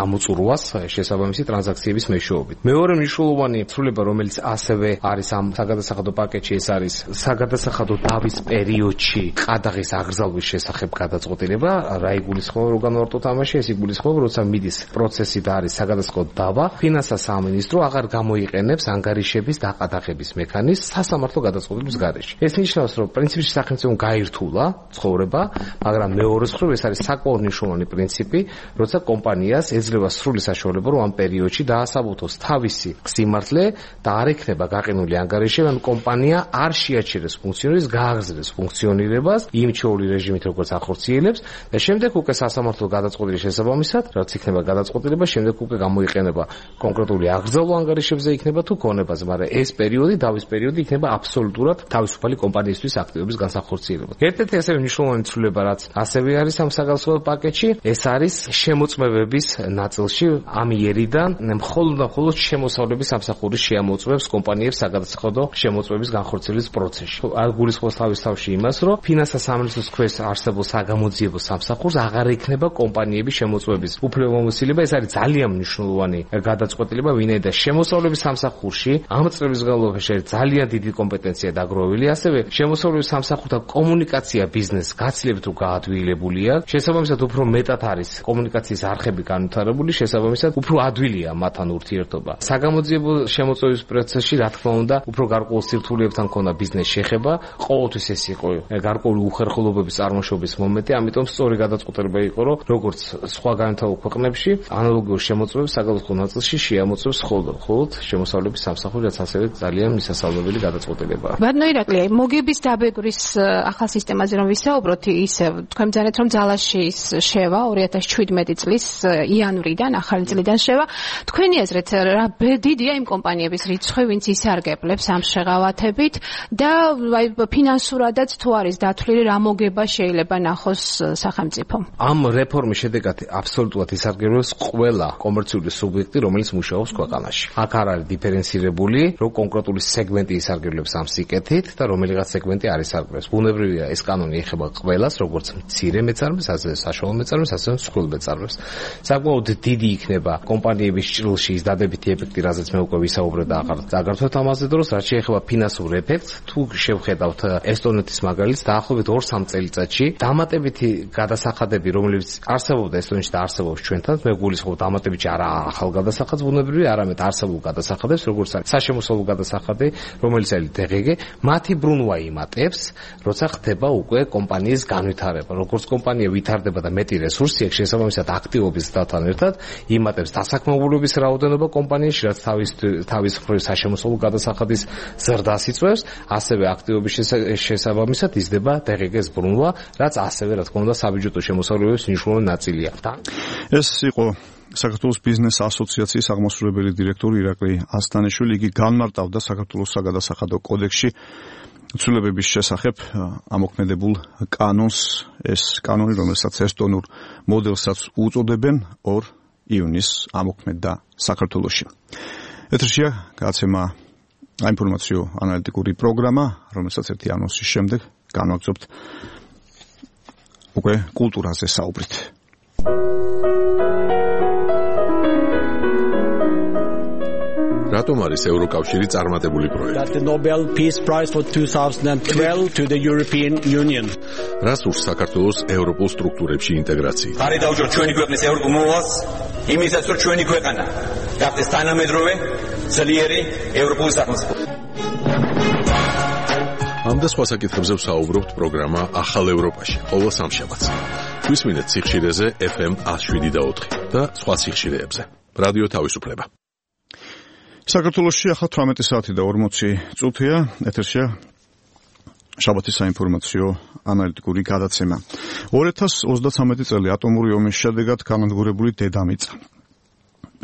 ამოწურვას შესაბამისი ტრანზაქციების მეშვეობით. მეორე მნიშვნელოვანი ცვლილება, რომელიც ასევე არის ამ საგადასახადო პაკეტში, ეს არის საგადასახადო დავის პერიოდში ყადაღის აგრძალვის შესახებ გადაწყვეტილება. რა იგულისხმება, რომ განვარტოთ ამაში, ეს იგულისხმება, როცა მიდის პროცესი და არის საგადასახადო დავა, ფინანსთა სამინისტრო აღარ გამოიყენებს ანგარიშების დაყადაღების მექანიზმს სასამართლო გადაწყვეტილების გარეშე. ეს ნიშნავს, რომ პრინციპში სახელმწიფომ გაირთულა ცხოვრება, მაგრამ მეორე მხრივ ეს არის საკმაოდ მნიშვნელოვანი პრინციპი, როცა კომპანიას ეძლევა სრული საშუალება, რომ ამ პერიოდში დაასაბუთოს თავისი სიმართლე და არ ექნება გაყინული ანგარიშები, ან კომპანია არ შეაჩერებს ფუნქციონირებას, გააგრძელებს ფუნქციონირებას იმ ჩვეული რეჟიმით, როგორც ახორციელებს და შემდეგ უკვე სასამართლო გადაწყვეტილის შესაბამისად, რაც იქნება გადაწყვეტილება, შემდეგ უკვე გამოიყენება კონკრეტული აკრძალვა ანგარიშებზე იქნება თუ ქონებაზე, მაგრამ ეს პერიოდი, დავის პერიოდი იქნება აბსოლუტურად თავისუფალი კომპანიისთვის აქტივობის განსახორციელებლად. ერთ-ერთი ასევე მნიშვნელოვანი ცვლილება, რაც ასევე არის ამ საგადასახადო პაკეტში, ეს არის შემოწმებების ნაწილში ამ იერიდან მხოლოდ შემოსავლების სამსახური შეამოწმებს კომპანიებს საგადასახადო შემოწმების განხორციელების პროცესში. არ გულისხმობს თავის თავში იმას, რომ ფინანსთა სამინისტროს ქვეშ არსებულ საგამოძიებო სამსახურს აღარ ექნება კომპანიების შემოწმების უფლებამოსილება. ეს არის ძალიან მნიშვნელოვანი გადაწყვეტილება, ვინაიდან შემოსავლების სამსახურში ამ წლების განმავლობაში ძალიან დიდი კომპეტენცია დაგროვილი, ასევე შემოსავლების სამსახურთან კომუნიკაცია ბიზნესს გაცილებით გაადვილებულია. შესაბამისად უფრო მეტად არის კომუნიკაციის არხები განვითარებული, შესაბამისად უფრო ადვილია მათთან ურთიერთობა. საგამოძიებო შემოწმების პროცესში, რა თქმა უნდა, უფრო გარკვეულ სირთულეებთან ქონდა ბიზნეს შეხება, ყოველთვის ეს იყო გარკვეული უხერხულობების წარმოშობის მომენტი, ამიტომ სწორი გადაწყვეტილება იყო, რომ როგორც სხვა განვითარებულ ქვეყნებში, ანალოგიურ შემოწმებს საგადასახადო ნაწილში შეამოწმებს მხოლოდ შემოსავლების სამსახური, რაც ასევე ძალიან მისასალმებელი გადაწყვეტილებაა. ბატონო ირაკლი, მოგების დაბეგრის ახალ სისტემაზე რომ ვისაუბროთ, ისე თქვენ ბრძანეთ, რომ ძალაში შევა 2017 წლის იანვრიდან, ახალი წლიდან შევა. თქვენი აზრით, რა დიდია იმ კომპანიების რიცხვი, ვინც ისარგებლებს ამ შეღავათებით და ფინანსურადაც თუ არის დათვლილი, რა მოგება შეიძლება ნახოს სახელმწიფომ? ამ რეფორმის შედეგად აბსოლუტურად ისარგებლებს ყველა კომერციული სუბიექტი, რომელიც მუშაობს ქვეყანაში. აქ არ არის დიფერენცირებული, რომ კონკრეტული სეგმენტი ისარგებლებს ამ სიკეთით და რომელიღაც სეგმენტი არ ისარგებლებს. ბუნებრივია, ეს კანონი ეხება ყველას, როგორც მცირე მეწარმეს, ასევე საშუალო მეწარმეს, ასევე მსხვილ მეწარმეს. საკმაოდ დიდი იქნება კომპანიების ჭრილში ის დადებითი ეფექტი, რაზეც მე უკვე ვისაუბრე და აღარ ვთქვათ ამაზე დროს, რაც შეეხება ფინანსურ ეფექტს, თუ შევხედავთ ესტონეთის მაგალითს, დაახლოებით 2-3 წელიწადში დამატებითი გადასახადები, რომლებიც არსებობდა ესტონეთში და არსებობს ჩვენთან, მე გულისხმობ დამატებითი არა ახალ გადასახადს ბუნებრივი, არამედ არსებულ გადასახადებს, როგორც არის საშემოსავლო გადასახადი, რომელიც არის DGG, მათი ბრუნვა იმატებს, როცა ხდება უკვე კომპანიის განვითარება. როგორც კომპანია ვითარდება და მეტი რესურსი აქვს, შესაბამისად აქტივობის დათთან ერთად იმატებს დასაქმებულობის რაოდენობა კომპანიაში, რაც თავის მხრივ საშემოსავლო გადასახადის ზრდას იწვევს, ასევე აქტივობის შესაბამისად იზრდება DGG-ს ბრუნვა, რაც ასევე რა თქმა უნდა საბიუჯეტო შემოსავლების მნიშვნელოვანი ნაწილია. ეს იყო საქართველოს ბიზნეს ასოციაციის აღმასრულებელი დირექტორი ირაკლი ასთანიშვილი. იგი განმარტავდა საქართველოს საგადასახადო კოდექსში ცვლილებების შესახებ ამოქმედებულ კანონს. ეს კანონი, რომელსაც ესტონურ მოდელსაც უწოდებენ, 2 ივნისს ამოქმედდა საქართველოში. ეთერშია გადაცემა აინფორმაციო ანალიტიკური პროგრამა, რომელსაც ერთი ანონსის შემდეგ განვაგრძობთ უკვე კულტურაზე საუბრით. რატომ არის ევროკავშირი წარმატებული პროექტი? The Nobel Peace Prize for 2012 to the European Union. რას ურს საქართველოს ევროპულ სტრუქტურებში ინტეგრაცია? არის დაუჭიროთ ჩვენი ქვეყნის ევროპულ მოვალს, იმისაც რომ ჩვენი ქვეყანა გახდეს თანამედროვე, ძლიერი ევროპული სახელმწიფო. ამ და სხვა საკითხებზე ვსაუბრობთ პროგრამა ახალ ევროპაში, ყოველ სამშაბათს. გვისმინეთ სიხშირეზე FM 107.4 და სხვა სიხშირეებზე. რადიო თავისუფლება. საქართველოში ახლა 18 საათი და 40 წუთია. ეთერშია შაბათის საინფორმაციო ანალიტიკური გადაცემა. 2033 წელი ატომური ომის შედეგად განადგურებული დედამიწა.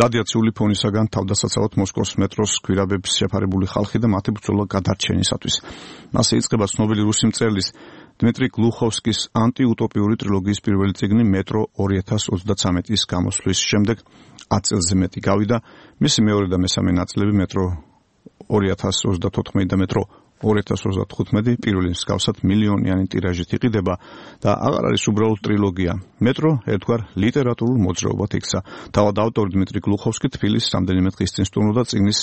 რადიაციული ფონისაგან თავდასაცავად მოსკოვის მეტროს გვირაბების შეფარებული ხალხი და მათი ბრძოლა გადარჩენისათვის. მასე იწყება ცნობილი რუსი მწერლის დმიტრი გლუხოვსკის ანტიუტოპიური ტრილოგიის პირველი წიგნი მეტრო 2033-ის გამოსვლის შემდეგ 10 წელზე მეტი გავიდა. მისი მეორე და მესამე ნაწილები მეტრო 2034 და მეტრო 2035 პირველი მსგავსად მილიონიანი ტირაჟით იყიდება და აღარ არის უბრალოდ ტრილოგია. მეტრო ერთგვარ ლიტერატურულ მოძრაობად იქცა. თავად ავტორი დმიტრი გლუხოვსკი თბილისის რამდენიმე დღის წინ სტუმრობდა წიგნის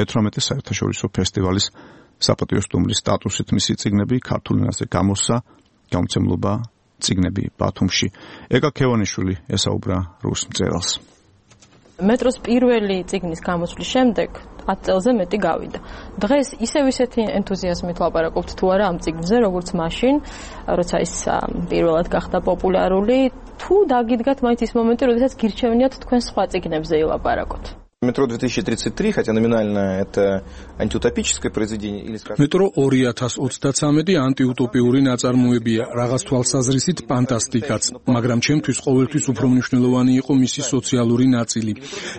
18 საერთაშორისო ფესტივალის საპატიო სტუმრის სტატუსით. მისი წიგნები ქართულ ენაზე გამოსცა გამოცემლობა წიგნები ბათუმში. ეკა ქევანიშვილი ესაუბრა რუს მწერალს. მეტროს პირველი წიგნის გამოსვლის შემდეგ 10 წელზე მეტი გავიდა. დღეს ისევ ისეთი ენთუზიაზმით ლაპარაკობთ თუ არა ამ წიგნზე, როგორც მაშინ, როცა ის პირველად гахდა პოპულარული, თუ დაგიდგათ მაინც ის მომენტი, როდესაც გირჩევნიათ თქვენ სხვა წიგნებზე ილაპარაკოთ. Метро 2033, хотя номинально это антиутопическое произведение или скажем. Метро 2033 ანტიუტოპიური ნაწარმოებია, რაღაც თვალსაზრისით ფანტასტიკაც, მაგრამ ჩემთვის ყოველთვის უფრო მნიშვნელოვანი იყო მისი სოციალური ნაწილი.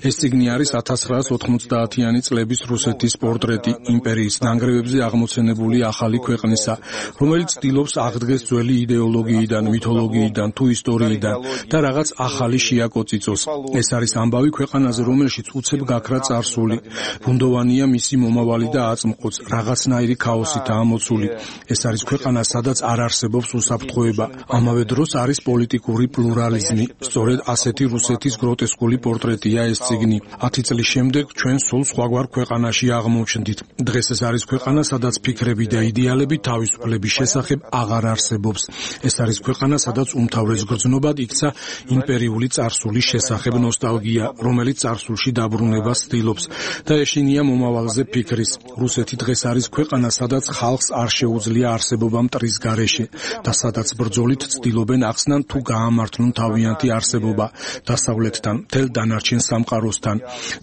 ეს წიგნი არის 1990-იანი წლების რუსეთის პორტრეტი იმპერიის ნანგრევებზე აღმოცენებული ახალი ქვეყნისა, რომელიც ცდილობს აღდგეს ძველი იდეოლოგიიდან, მითოლოგიიდან თუ ისტორიიდან და რაღაც ახალი შეაკოწიწოს. ეს არის ამბავი ქვეყანაზე, რომელშიც გაქრა წარსული, ბუნდოვანია მისი მომავალი და აწმყოც, რაღაცნაირი ქაოსითაა მოცული. ეს არის ქვეყანა, სადაც არ არსებობს უსაფრთხოება. ამავე დროს არის პოლიტიკური პლურალიზმი. სწორედ ასეთი რუსეთის გროტესკული პორტრეტია ეს წიგნი. 10 წლის შემდეგ ჩვენ სულ სხვაგვარ ქვეყანაში აღმოჩნდით. დღეს ეს არის ქვეყანა, სადაც ფიქრები და იდეალები თავისუფლების შესახებ აღარ არსებობს. ეს არის ქვეყანა, სადაც უმთავრეს გრძნობად იქცა იმპერიული წარსულის შესახებ ნოსტალგია, რომელიც წარსულში დაბრუნებას ცდილობს და ეშინია მომავალზე ფიქრის. რუსეთი დღეს არის ქვეყანა, სადაც ხალხს არ შეუძლია არსებობა მტრის გარეშე და სადაც ბრძოლით ცდილობენ ახსნან თუ გაამართლონ თავიანთი არსებობა დასავლეთთან, მთელ დანარჩენ სამყაროსთან.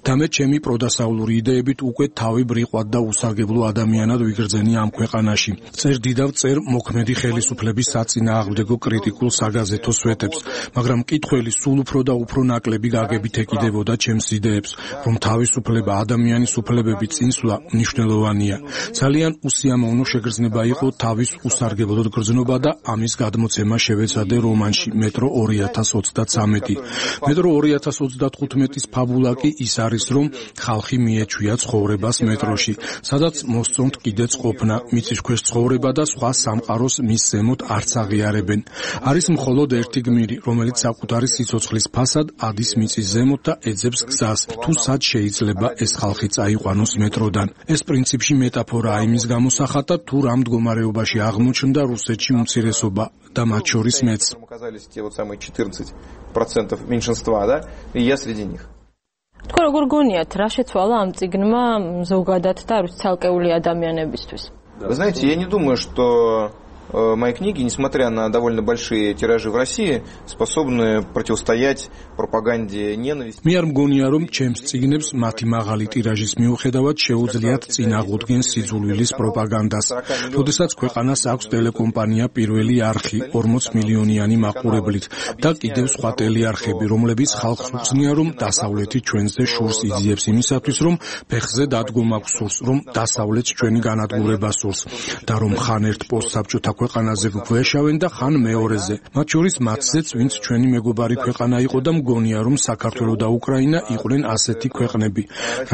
და მე ჩემი პროდასავლური იდეებით უკვე თავი ბრიყვად და უსარგებლო ადამიანად ვიგრძენი ამ ქვეყანაში. წერ დიდავ წერ მოქმედი ხელისუფლების საწინააღმდეგო კრიტიკულ საგაზეთო სვეტებს, მაგრამ მკითხველი სულ უფრო და უფრო ნაკლები გაგებით ეკიდებოდა ჩემს იდეებს, რომ თავისუფლება, ადამიანის უფლებები წინსვლა მნიშვნელოვანია. ძალიან უსიამოვნო შეგრძნება იყო თავის უსარგებლოდ გრძნობა და ამის გადმოცემა შევეცადე რომანში მეტრო 2033. მეტრო 2035-ის ფაბულა კი ის არის, რომ ხალხი მიეჩვია ცხოვრებას მეტროში, სადაც მოსწონთ კიდეც ყოფნა, მიწის ქვეშ ცხოვრება და სხვა სამყაროს მის ზემოთ არც აღიარებენ. არის მხოლოდ ერთი გმირი, რომელიც საკუთარი სიცოცხლის ფასად ადის მიწის ზემოთ და ეძებს გზას. თუ სად შეიძლება ეს ხალხი წაიყვანოს მეტროდან. ეს პრინციპში მეტაფორაა იმის გამოსახატად, თუ რამ მდგომარეობაში აღმოჩნდა რუსეთში უმცირესობა და მათ შორის მეც. თქვენ როგორ გონიათ, რა შეცვალა ამ წიგნმა ზოგადად და არის ცალკეული ადამიანებისთვის? Вы знаете, я не думаю, что мои книги, несмотря на довольно большие тиражи в России, способны противостоять пропаганде ненависти. მე არ მგონია, რომ ჩემს წიგნებს მათი მაღალი ტირაჟის მიუხედავად შეუძლიათ წინააღმდეგენ სიძულვილის პროპაგანდას. როდესაც ქვეყანას აქვს ტელეკომპანია პირველი არხი 40 მილიონიანი მაყურებლით და კიდევ სხვა ტელეარხები, რომლებიც ხალხს უხსნიან, რომ დასავლეთი ჩვენზე შურს იძიებს იმისათვის, რომ ფეხზე დადგომა გვსურს, რომ დასავლეთს ჩვენი განადგურება სურს და რომ ხან ერთ პოსტსაბჭოთა ქვეყანაზე გვეშავენ და ხან მეორეზე. მათ შორის მათზეც, ვინც ჩვენი მეგობარი ქვეყანა იყო და მგონია, რომ საქართველო და უკრაინა იყვნენ ასეთი ქვეყნები.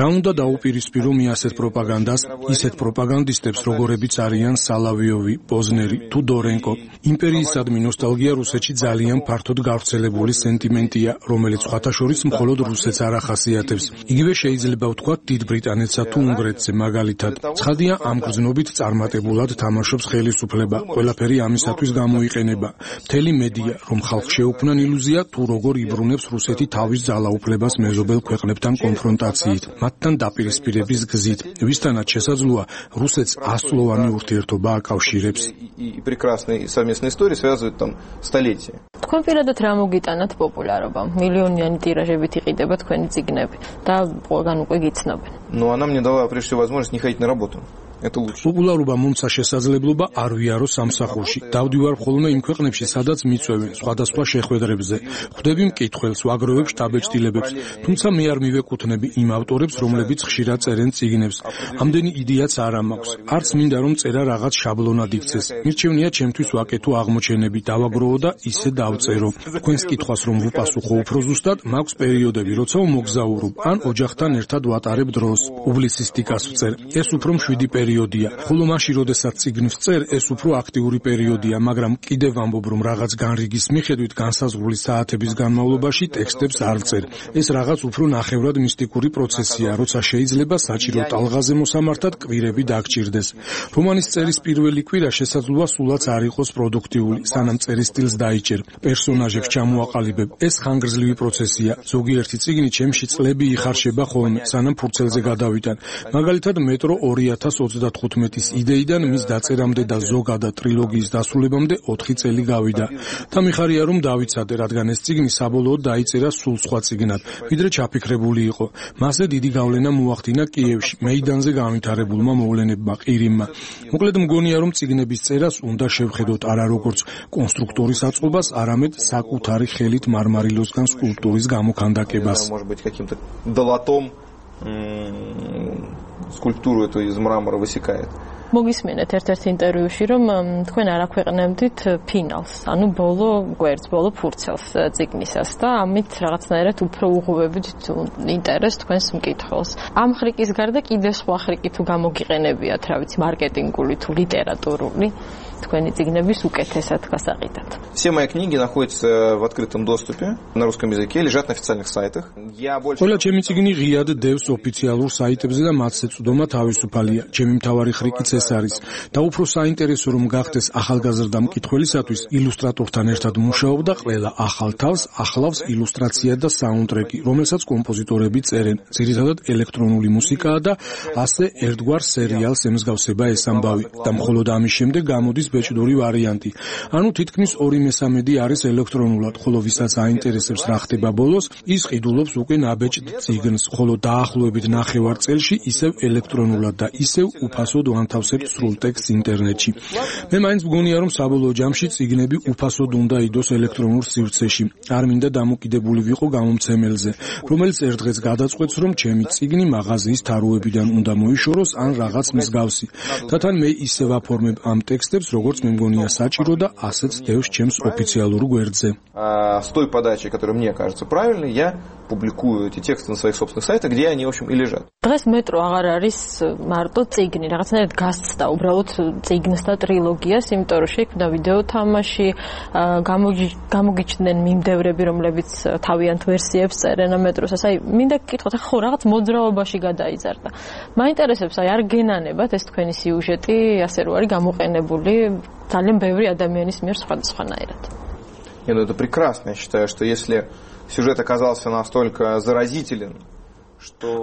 რა უნდა დაუპირისპირო მე ასეთ პროპაგანდას, ისეთ პროპაგანდისტებს, როგორებიც არიან სალავიოვი, პოზნერი თუ დორენკო. იმპერიისადმი ნოსტალგია რუსეთში ძალიან ფართოდ გავრცელებული სენტიმენტია, რომელიც სხვათა შორის მხოლოდ რუსეთს არ ახასიათებს. იგივე შეიძლება ვთქვათ დიდ ბრიტანეთსა თუ უნგრეთზე მაგალითად. ცხადია, ამ გრძნობით წარმატებულად თამაშობს ხელისუფლება. ყველაფერი ამისათვის გამოიყენება. მთელი მედია, რომ ხალხს შეუქმნან ილუზია, თუ როგორ იბრუნებს რუსეთი თავის ძალაუფლებას მეზობელ ქვეყნებთან კონფრონტაციით, მათთან დაპირისპირების გზით, ვისთანაც შესაძლოა რუსეთს ასწლოვანი ურთიერთობა აკავშირებს. თქვენ პირადად რა მოგიტანათ პოპულარობამ? მილიონიანი ტირაჟებით იყიდება თქვენი წიგნები და ყველგან უკვე გიცნობენ. Но она мне дала прежде всего возможность не ходить на работу. პოპულარობა მომცა შესაძლებლობა არ ვიარო სამსახურში. დავდივარ ხოლმე იმ ქვეყნებში, სადაც მიწვევენ სხვადასხვა შეხვედრებზე. ხვდები მკითხველს, ვაგროვებ შტაბ-ჭრილებებს, თუმცა მე არ მივეკუთვნები იმ ავტორებს, რომლებიც ხშირად წერენ წიგნებს. ამდენი იდეაც არ მაქვს. არც მინდა რომ წერა რაღაც შაბლონად იქცეს. მირჩევნია ჩემთვის ვაკეთო აღმოჩენები, დავაგროვო და ისე დავწერო. თქვენს კითხვას რომ ვუპასუხო უფრო ზუსტად, მაქვს პერიოდები, როცა ვმოგზაურობ, ან ოჯახთან ერთად ვატარებ დროს. პუბლიცისტიკას ვწერ. ეს უფრო მშვიდი პერიოდია. ხოლო მაშინ, როდესაც წიგნს წერ, ეს უფრო აქტიური პერიოდია, მაგრამ კიდევ ვამბობ, რომ რაღაც განრიგის მიხედვით განსაზღვრული საათების განმავლობაში ტექსტებს არ წერ. ეს რაღაც უფრო ნახევრად მისტიკური პროცესია, როცა შეიძლება საჭირო ტალღაზე მოსამართად კვირები დაგჭირდეს. რომანის წერის პირველი კვირა შესაძლოა სულაც არ იყოს პროდუქტიული, სანამ წერის სტილს დაიჭერ, პერსონაჟებს ჩამოაყალიბებ. ეს ხანგრძლივი პროცესია. ზოგიერთი წიგნი ჩემში წლები იხარშება ხოლმე, სანამ ფურცელზე გადავიტან. მაგალითად, მეტრო 2035-ის იდეიდან მის დაწერამდე და ზოგადად ტრილოგიის დასრულებამდე 4 წელი გავიდა. და მიხარია რომ დავიცადე, რადგან ეს წიგნი საბოლოოდ დაიწერა სულ სხვა წიგნად, ვიდრე ჩაფიქრებული იყო. მასზე დიდი გავლენა მოახდინა კიევში, მეიდანზე განვითარებულმა მოვლენებმა, ყირიმმა. მოკლედ მგონია, რომ წიგნების წერას უნდა შევხედოთ არა როგორც კონსტრუქტორის აწყობას, არამედ საკუთარი ხელით მარმარილოსგან სკულპტურის გამოქანდაკებას. Скульптуру эту из мрамора высекает. მოგისმენთ ერთ-ერთ ინტერვიუში, რომ თქვენ არ აქვეყნებდით ფინალს, ანუ ბოლო გვერდს, ბოლო ფურცელს წიგნისას და ამით რაღაცნაირად უფრო უღუვებით ინტერესს თქვენს მკითხველს. ამ ხრიკის გარდა კიდევ სხვა ხრიკი თუ გამოგიყენებიათ, რა ვიცი, მარკეტინგული თუ ლიტერატურული, თქვენი წიგნების უკეთესად გასაყიდად. Все мои книги находятся в открытом доступе на русском языке, лежат на официальных сайтах. ყველა ჩემი წიგნი ღიად დევს ოფიციალურ საიტებზე და მათზე წვდომა თავისუფალია. ჩემი მთავარი ხრიკიც ეს არის. და უფრო საინტერესო რომ გახდეს ახალგაზრდა მკითხველისათვის, ილუსტრატორთან ერთად მუშაობ და ყველა ახალ თავს ახლავს ილუსტრაცია და საუნდტრეკი, რომელსაც კომპოზიტორები წერენ. ძირითადად ელექტრონული მუსიკაა და ასე ერთგვარ სერიალს ემსგავსება ეს ამბავი. და მხოლოდ ამის შემდეგ გამოდის ბეჭდური ვარიანტი. ანუ თითქმის 2/3 არის ელექტრონულად, ხოლო ვისაც აინტერესებს რა ხდება ბოლოს, ის ყიდულობს უკვე ნაბეჭდ წიგნს, ხოლო დაახლოებით ნახევარ წელში ისევ ელექტრონულად და ისევ უფასოდ ვანთავსებთ სრულ ტექსტს ინტერნეტში. მე მაინც მგონია, რომ საბოლოო ჯამში წიგნები უფასოდ უნდა იდოს ელექტრონულ სივრცეში. არ მინდა დამოკიდებული ვიყო გამომცემელზე, რომელიც ერთ დღეს გადაწყვეტს, რომ ჩემი წიგნი მაღაზიის თაროებიდან უნდა მოიშოროს ან რაღაც მსგავსი. და თან მე ისევ აფორმებ ამ ტექსტებს, როგორც მე მგონია საჭირო და ასეც დევს ჩემს ოფიციალურ გვერდზე. С той подачей, которая мне кажется правильной, я публикуют эти тексты на своих собственных сайтах, где они, в общем, и лежат. დღეს მეტრო აღარ არის მარტო წიგნი, რაღაცნაირად გასცდა უბრალოდ წიგნს და ტრილოგიას, იმიტომ რომ შექმნა ვიდეო თამაში, გამოგიჩნდნენ მიმდევრები, რომლებიც თავიანთ ვერსიებს წერენ მეტროსაც. აი, მინდა გკითხოთ, ხო, რაღაც მოძრაობაში გადაიზარდა. მაინტერესებს, აი, არ გენანებათ ეს თქვენი სიუჟეტი, ასე რომ არის გამოყენებული ძალიან ბევრი ადამიანის მიერ სხვადასხვანაირად. Ну, это прекрасно. Я считаю, что если сюжет оказался настолько заразителен,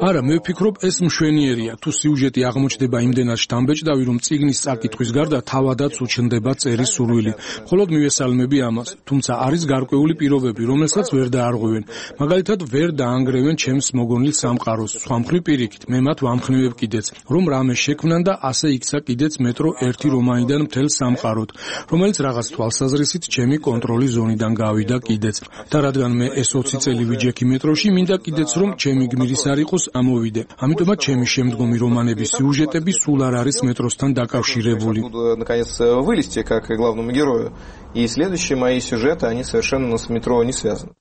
არა, მე ვფიქრობ, ეს მშვენიერია. თუ სიუჟეტი აღმოჩნდება იმდენად შთამბეჭდავი, რომ წიგნის წაკითხვის გარდა თავადაც უჩნდება წერის სურვილი. მხოლოდ მივესალმები ამას. თუმცა არის გარკვეული პირობები, რომელსაც ვერ დაარღვევენ. მაგალითად, ვერ დაანგრევენ ჩემს მოგონილ სამყაროს. სხვა მხრივ პირიქით, მე მათ ვამხნევებ კიდეც, რომ რამე შექმნან და ასე იქცა კიდეც მეტრო ერთი რომანიდან მთელ სამყაროდ, რომელიც რაღაც თვალსაზრისით ჩემი კონტროლის ზონიდან გავიდა კიდეც. და რადგან მე ეს 20 წელი ვიჯექი მეტროში, მინდა კიდეც რომ ჩემი გმირის არ იყოს ამოვიდე. ამიტომაც ჩემი შემდგომი რომანების სიუჟეტები სულ არ არის მეტროსთან დაკავშირებული. Наконец вылезти как главному герою. И следующие мои сюжеты, они совершенно с метро не связаны.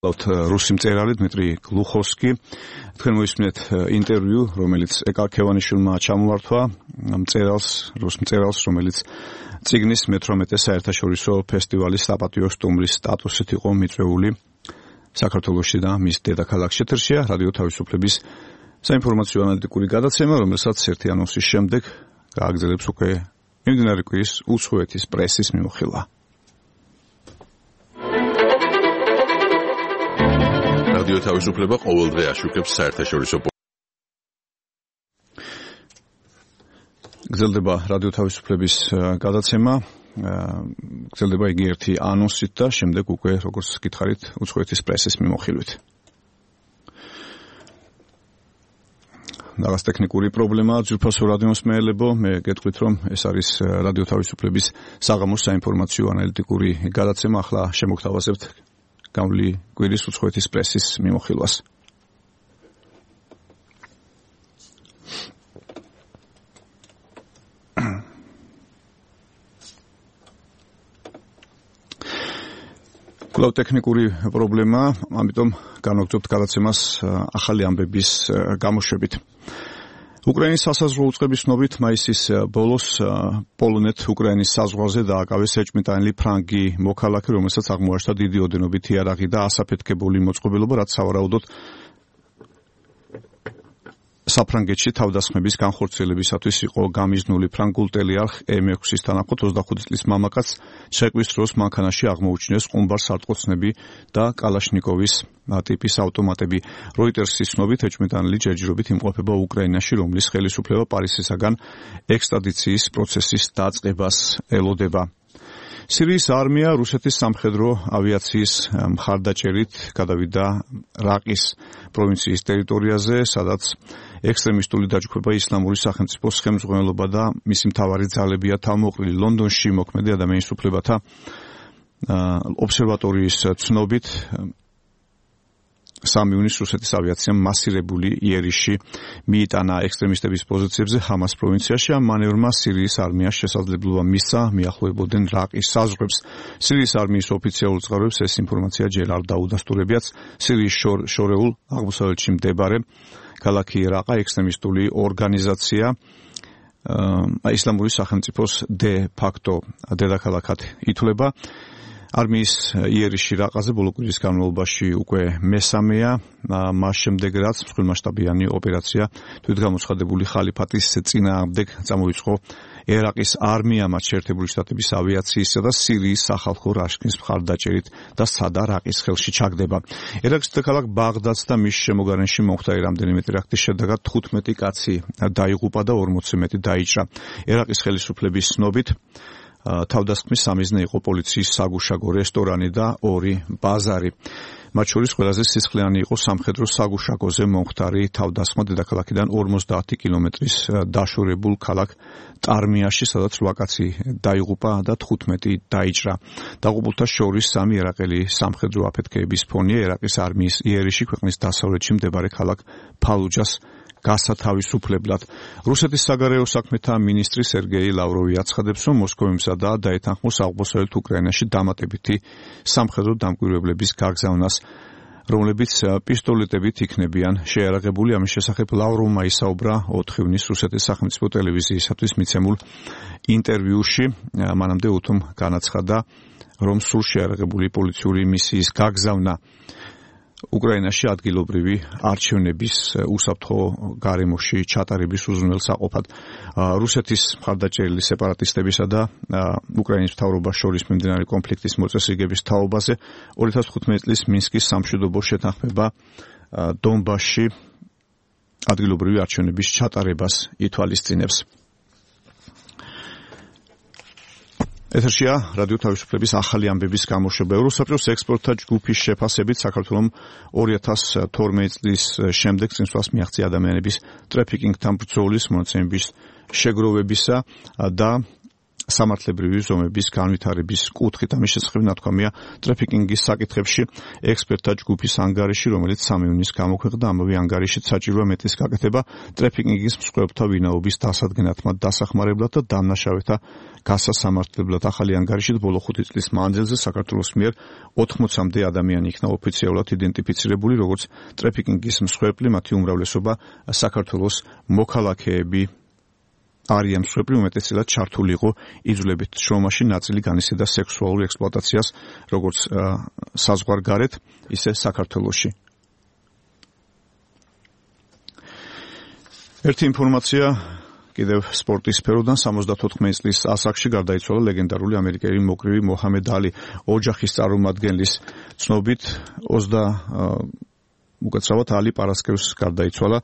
რუსი მწერალი დმიტრი გლუხოვსკი თქვენ მოისმინეთ ინტერვიუ, რომელიც ეკა ქევანიშვილმა ჩამოართვა რუს მწერალს, რომელიც წიგნის მე-18 საერთაშორისო ფესტივალის საპატიო სტუმრის სტატუსით იყო მიწვეული საქართველოში და მის დედაქალაქში. ეთერშია რადიო თავისუფლების საინფორმაციო ანალიტიკური გადაცემა, რომელსაც ერთი ანონსის შემდეგ გააგრძელებს უკვე მიმდინარე კვირის უცხოეთის პრესის მიმოხილვა. რადიო თავისუფლება ყოველდღე აშუქებს საერთაშორისო გრძელდება რადიო თავისუფლების გადაცემა, გრძელდება იგი ერთი ანონსით და შემდეგ უკვე, როგორც გითხარით, უცხოეთის პრესის მიმოხილვით. რაღაც ტექნიკური პრობლემაა, ძვირფასო რადიოს მეელებო, მე გეტყვით, რომ ეს არის რადიო თავისუფლების საღამოს საინფორმაციო ანალიტიკური გადაცემა, ახლა შემოგთავაზებთ გამვლი კვირის უცხოეთის პრესის მიმოხილვას. კვლავ ტექნიკური პრობლემაა, ამიტომ განვაგრძობთ გადაცემას ახალი ამბების გამოშვებით. უკრაინის სასაზღვრო უწყების ცნობით მაისის ბოლოს პოლონეთ უკრაინის საზღვარზე დააკავეს ეჭვმიტანილი ფრანგი მოქალაქე, რომელსაც აღმოაჩნდა დიდი ოდენობით იარაღი და ასაფეთქებული მოწყობილობა, რაც სავარაუდოდ საფრანგეთში თავდასხმების განხორციელებისათვის იყო გამიზნული. ფრანგულ ტელეარხ M6-ის თანახმად 25 წლის მამაკაც შეყვის დროს მანქანაში აღმოუჩინეს ყუმბარ სარტყოცნები და კალაშნიკოვის ტიპის ავტომატები. როიტერსის ცნობით ეჭვმიტანილი ჯერჯერობით იმყოფება უკრაინაში, რომლის ხელისუფლება პარიზისაგან ექსტრადიციის პროცესის დაწყებას ელოდება. სირიის არმია რუსეთის სამხედრო ავიაციის მხარდაჭერით გადავიდა რაყის პროვინციის ტერიტორიაზე, სადაც ექსტრემისტული დაჯგუფება ისლამური სახელმწიფოს ხელმძღვანელობა და მისი მთავარი ძალებია თავმოყრილი. ლონდონში მოქმედი ადამიანის უფლებათა ობსერვატორიის ცნობით 3 ივნისს რუსეთის ავიაციამ მასირებული იერიში მიიტანა ექსტრემისტების პოზიციებზე ჰამას პროვინციაში. ამ მანევრმა სირიის არმიას შესაძლებლობა მისცა მიახლოებოდნენ რაყის საზღვრებს. სირიის არმიის ოფიციალურ წყაროებს ეს ინფორმაცია ჯერ არ დაუდასტურებიათ. სირიის შორეულ აღმოსავლეთში მდებარე ქალაქი რაყა ექსტრემისტული ორგანიზაცია ისლამური სახელმწიფოს დე ფაქტო დედაქალაქად ითვლება. არმიის იერიში რაყაზე ბოლო კვირის განმავლობაში უკვე მესამეა, მას შემდეგ რაც მსხვილმასშტაბიანი ოპერაცია თვითგამოცხადებული ხალიფატის წინააღმდეგ წამოიწყო ერაყის არმია, მათ შეერთებული შტატების ავიაციისა და სირიის სახალხო რაშქის მხარდაჭერით და სადა რაყის ხელში ჩაგდება. ერაყის დედაქალაქ ბაღდადს და მის შემოგარენში მომხდარი რამდენიმე ტერაქტის შედეგად 15 კაცი დაიღუპა და 40 მეტი დაიჭრა. ერაყის ხელისუფლების ცნობით თავდასხმის სამიზნე იყო პოლიციის საგუშაგო რესტორანი და 2 ბაზარი. მათ შორის ყველაზე სისხლიანი იყო სამხედრო საგუშაგოზე მომხდარი თავდასხმა დედაქალაქიდან 50 კილომეტრის დაშორებულ ქალაქ ტარმიაში, სადაც 8 კაცი დაიღუპა და 15 დაიჭრა. დაღუპულთა შორის 3 ერაყელი სამხედრო აფეთქეების ფონია. ერაყის არმიის იერიში ქვეყნის დასავლეთში მდებარე ქალაქ ფალუჯას გასათავისუფლებლად. რუსეთის საგარეო საქმეთა მინისტრი სერგეი ლავროვი აცხადებს, რომ მოსკოვი მზადაა დაეთანხმოს აღმოსავლეთ უკრაინაში დამატებითი სამხედრო დამკვირვებლების გაგზავნას, რომლებიც პისტოლეტებით იქნებიან შეიარაღებული. ამის შესახებ ლავროვმა ისაუბრა 4 ივნისს რუსეთის სახელმწიფო ტელევიზიისათვის მიცემულ ინტერვიუში. მანამდე უთომ განაცხადა, რომ სულ შეიარაღებული პოლიციური მისიის გაგზავნა უკრაინაში ადგილობრივი არჩევნების უსაფრთხო გარემოში ჩატარების უზრუნველსაყოფად. რუსეთის მხარდაჭერილი სეპარატისტებისა და უკრაინის მთავრობას შორის მიმდინარე კონფლიქტის მოწესრიგების თაობაზე 2015 წლის მინსკის სამშვიდობო შეთანხმება დონბასში ადგილობრივი არჩევნების ჩატარებას ითვალისწინებს. ეთერშია რადიო თავისუფლების ახალი ამბების გამოშვება. ევროსაბჭოს ექსპორტთა ჯგუფის შეფასებით საქართველოს 2012 წლის შემდეგ წინსვლას მიაღწია ადამიანების ტრაფიკინგთან ბრძოლის მონაცემების შეგროვებისა და სამართლებრივი ზომების განვითარების კუთხით. ამის შესახებ ნათქვამია ტრაფიკინგის საკითხებში ექსპერტთა ჯგუფის ანგარიში, რომელიც 3 ივნისს გამოქვეყნდა. ამავე ანგარიშით საჭიროა მეტის გაკეთება ტრაფიკინგის მსხვერპლთა ვინაობის დასადგენად, მათ დასახმარებლად და დამნაშავეთა გასასამართლებლად. ახალი ანგარიშით ბოლო 5 წლის მანძილზე საქართველოს მიერ 80-მდე ადამიანი იქნა ოფიციალურად იდენტიფიცირებული როგორც ტრაფიკინგის მსხვერპლი. მათი უმრავლესობა საქართველოს მოქალაქეები არიან. მსხვერპლი უმეტესწილად ჩართული იყო იძულებით შრომაში, ნაწილი განიცდიდა სექსუალურ ექსპლუატაციას როგორც საზღვარგარეთ, ისე საქართველოში. ერთი ინფორმაცია კიდევ სპორტის სფეროდან. 74 წლის ასაკში გარდაიცვალა ლეგენდარული ამერიკელი მოკრივი მოჰამედ ალი. ოჯახის წარმომადგენლის ცნობით უკაცრავად ალი პარასკევს გარდაიცვალა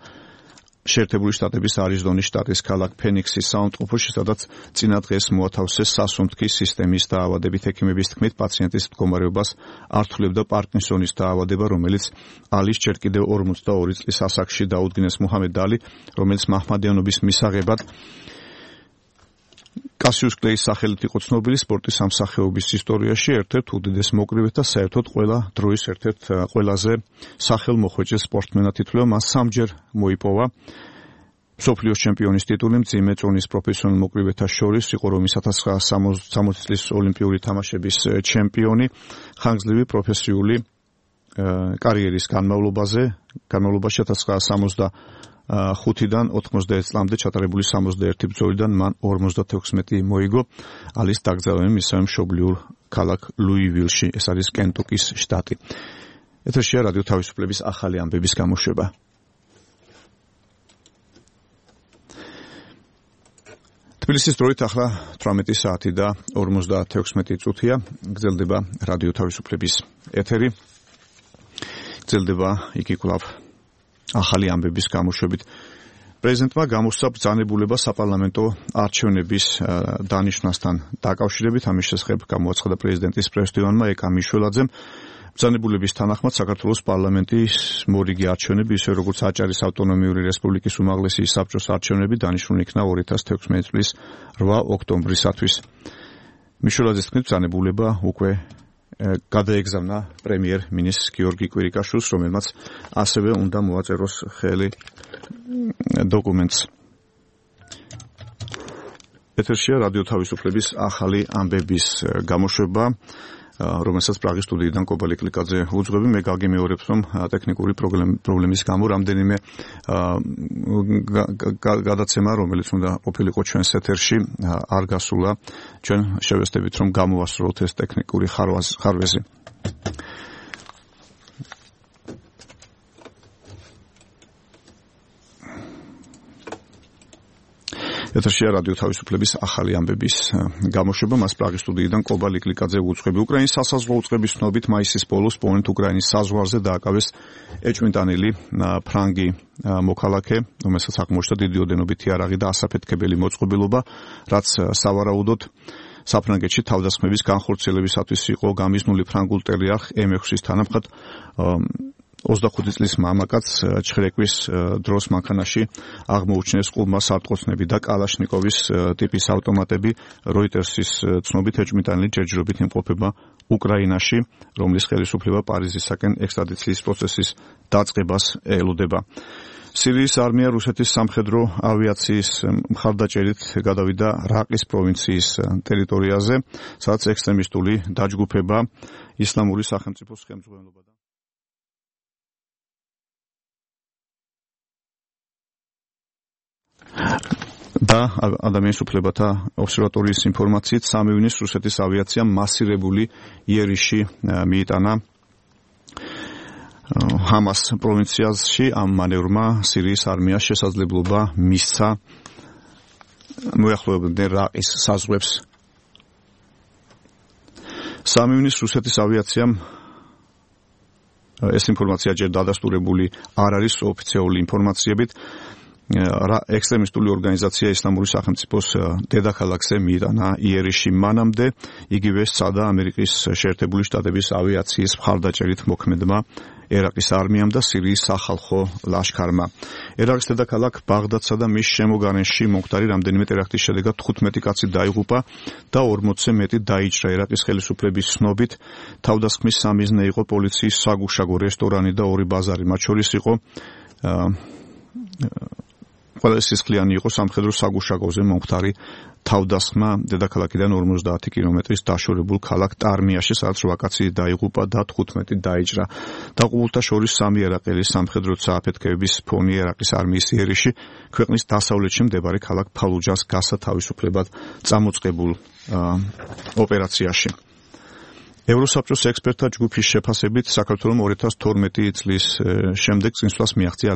შეერთებული შტატების არიზონის შტატის ქალაქ ფენიქსის საავადმყოფოში, სადაც წინა დღეს მოათავსეს სასუნთქის სისტემის დაავადებით. ექიმების თქმით, პაციენტის მდგომარეობას ართულებდა პარკინსონის დაავადება, რომელიც ალის ჯერ კიდევ 42 წლის ასაკში დაუდგინეს. მოჰამედ ალი, რომელიც მაჰმადიანობის მისაღებად კასიუს კლეის სახელით იყო ცნობილი სპორტის სამსახეობის ისტორიაში, ერთ-ერთ უდიდეს მოკრივედ და საერთოდ ყველა დროის ერთ-ერთ ყველაზე სახელმოხვეჭილ სპორტმენად ითვლება. მას 3-ჯერ მოიპოვა მსოფლიოს ჩემპიონის ტიტული მძიმე წონის პროფესიონალ მოკრივეთა შორის. იყო რომის 1960 წლის ოლიმპიური თამაშების ჩემპიონი. ხანგრძლივი პროფესიული კარიერის განმავლობაში 1965-დან 91 წლამდე ჩატარებული 61 ბრძოლიდან მან 56 მოიგო. ალის დაკრძალვები მისცემ მშობლიურ ქალაქ ლუივილში, ეს არის კენტუკის შტატი. ეთერშია რადიო თავისუფლების ახალი ამბების გამოშვება. თბილისის დროით ახლა 18 საათი და 56 წუთია. გრძელდება რადიო თავისუფლების ეთერი. გრძელდება იგი კვლავ ახალი ამბების გამოშვებით. პრეზიდენტმა გამოსცა ბრძანებულება საპარლამენტო არჩევნების დანიშნვასთან დაკავშირებით. ამის შესახებ გამოაცხადა პრეზიდენტის პრესდივანმა ეკა მიშველაძემ. ბრძანებულების თანახმად საქართველოს პარლამენტის მორიგი არჩევნები, ისე როგორც აჭარის ავტონომიური რესპუბლიკის უმაღლესი საბჭოს არჩევნები დანიშნული იქნა 2016 წლის 8 ოქტომბრისათვის. მიშველაძის თქმით, ბრძანებულება უკვე გადაეგზავნა პრემიერ-მინისტრ გიორგი კვირიკაშვილს, რომელმაც ასევე უნდა მოაწეროს ხელი დოკუმენტს. ეთერშია რადიო თავისუფლების ახალი ამბების გამოშვება, რომელსაც პრაღის სტუდიიდან კობალი კლიკაძე უძღვები. მე გაგიმეორებს, რომ ტექნიკური პრობლემის გამო რამდენიმე გადაცემა, რომელიც უნდა ყოფილიყო ჩვენს ეთერში, არ გასულა. ჩვენ შევეცდებით, რომ გამოვასრულოთ ეს ტექნიკური ხარვეზი. ეთერშია რადიო თავისუფლების ახალი ამბების გამოშვება. მას პრაღის სტუდიიდან კობალი კლიკაძე უძღვები. უკრაინის სასაზღვრო უწყების ცნობით მაისის ბოლოს პოლონეთ უკრაინის საზღვარზე დააკავეს ეჭვმიტანილი ფრანგი მოქალაქე, რომელსაც აღმოჩნდა დიდი ოდენობით იარაღი და ასაფეთქებელი მოწყობილობა, რაც სავარაუდოდ საფრანგეთში თავდასხმების განხორციელებისათვის იყო გამიზნული ფრანგულ ტერიარხ M6-ის თანამხად 25 წლის მამაკაც ჩხრეკვის დროს მანქანაში აღმოუჩინეს ყურმა სარტყოცნები და კალაშნიკოვის ტიპის ავტომატები. როიტერსის ცნობით ეჭვმიტანილი ჯერჯერობით იმყოფება უკრაინაში, რომლის ხელისუფლება პარიზისაკენ ექსტრადიციის პროცესის დაწყებას ელოდება. სირიის არმია რუსეთის სამხედრო ავიაციის მხარდაჭერით გადავიდა რაყის პროვინციის ტერიტორიაზე, სადაც ექსტრემისტული დაჯგუფება ისლამური სახელმწიფოს ხელმძღვანელობა და ადამიანის უფლებათა ობსერვატორიის ინფორმაციით 3 ივნისს რუსეთის ავიაციამ მასირებული იერიში მიიტანა ჰამას პროვინციაში ამ მანევრმა სირიის არმიას შესაძლებლობა მისცა მოახლოებდნენ რაყის საზღვრებს. 3 ივნისს რუსეთის ავიაციამ ეს ინფორმაცია ჯერ დადასტურებული არ არის ოფიციალური ინფორმაციებით ექსტრემისტული ორგანიზაცია ისლამური სახელმწიფოს დედაქალაქზე მიიტანა იერიში. მანამდე იგივე სცადა ამერიკის შეერთებული შტატების ავიაციის მხარდაჭერით მოქმედმა ერაყის არმიამ და სირიის სახალხო ლაშქარმა. ერაყის დედაქალაქ ბაღდადსა და მის შემოგარენში მომხდარი რამდენიმე ტერაქტის შედეგად 15 კაცი დაიღუპა და 40-ზე მეტი დაიჭრა. ერაყის ხელისუფლების ცნობით თავდასხმის სამიზნე იყო პოლიციის საგუშაგო რესტორანი და 2 ბაზარი, მათ შორის იყო ყველა სისხლიანი იყო სამხედრო საგუშაგოზე მომხდარი თავდასხმა დედაქალაქიდან 50 კილომეტრის დაშორებულ ქალაქ ტარმიაში, სადაც 8 კაცი დაიღუპა და 15 დაიჭრა. დაყუპულთა შორის 3 ერაყელი სამხედრო წააფეთქების ფონი ერაყის არმიის იერიში ქვეყნის დასავლეთში მდებარე ქალაქ ფალუჯას გასათავისუფლებად წამოწყებულ ოპერაციაში. ევროსაბჭოს ექსპერტთა ჯგუფის შეფასებით საქართველოს 2012 წლის შემდეგ წინსვლას მიაღწია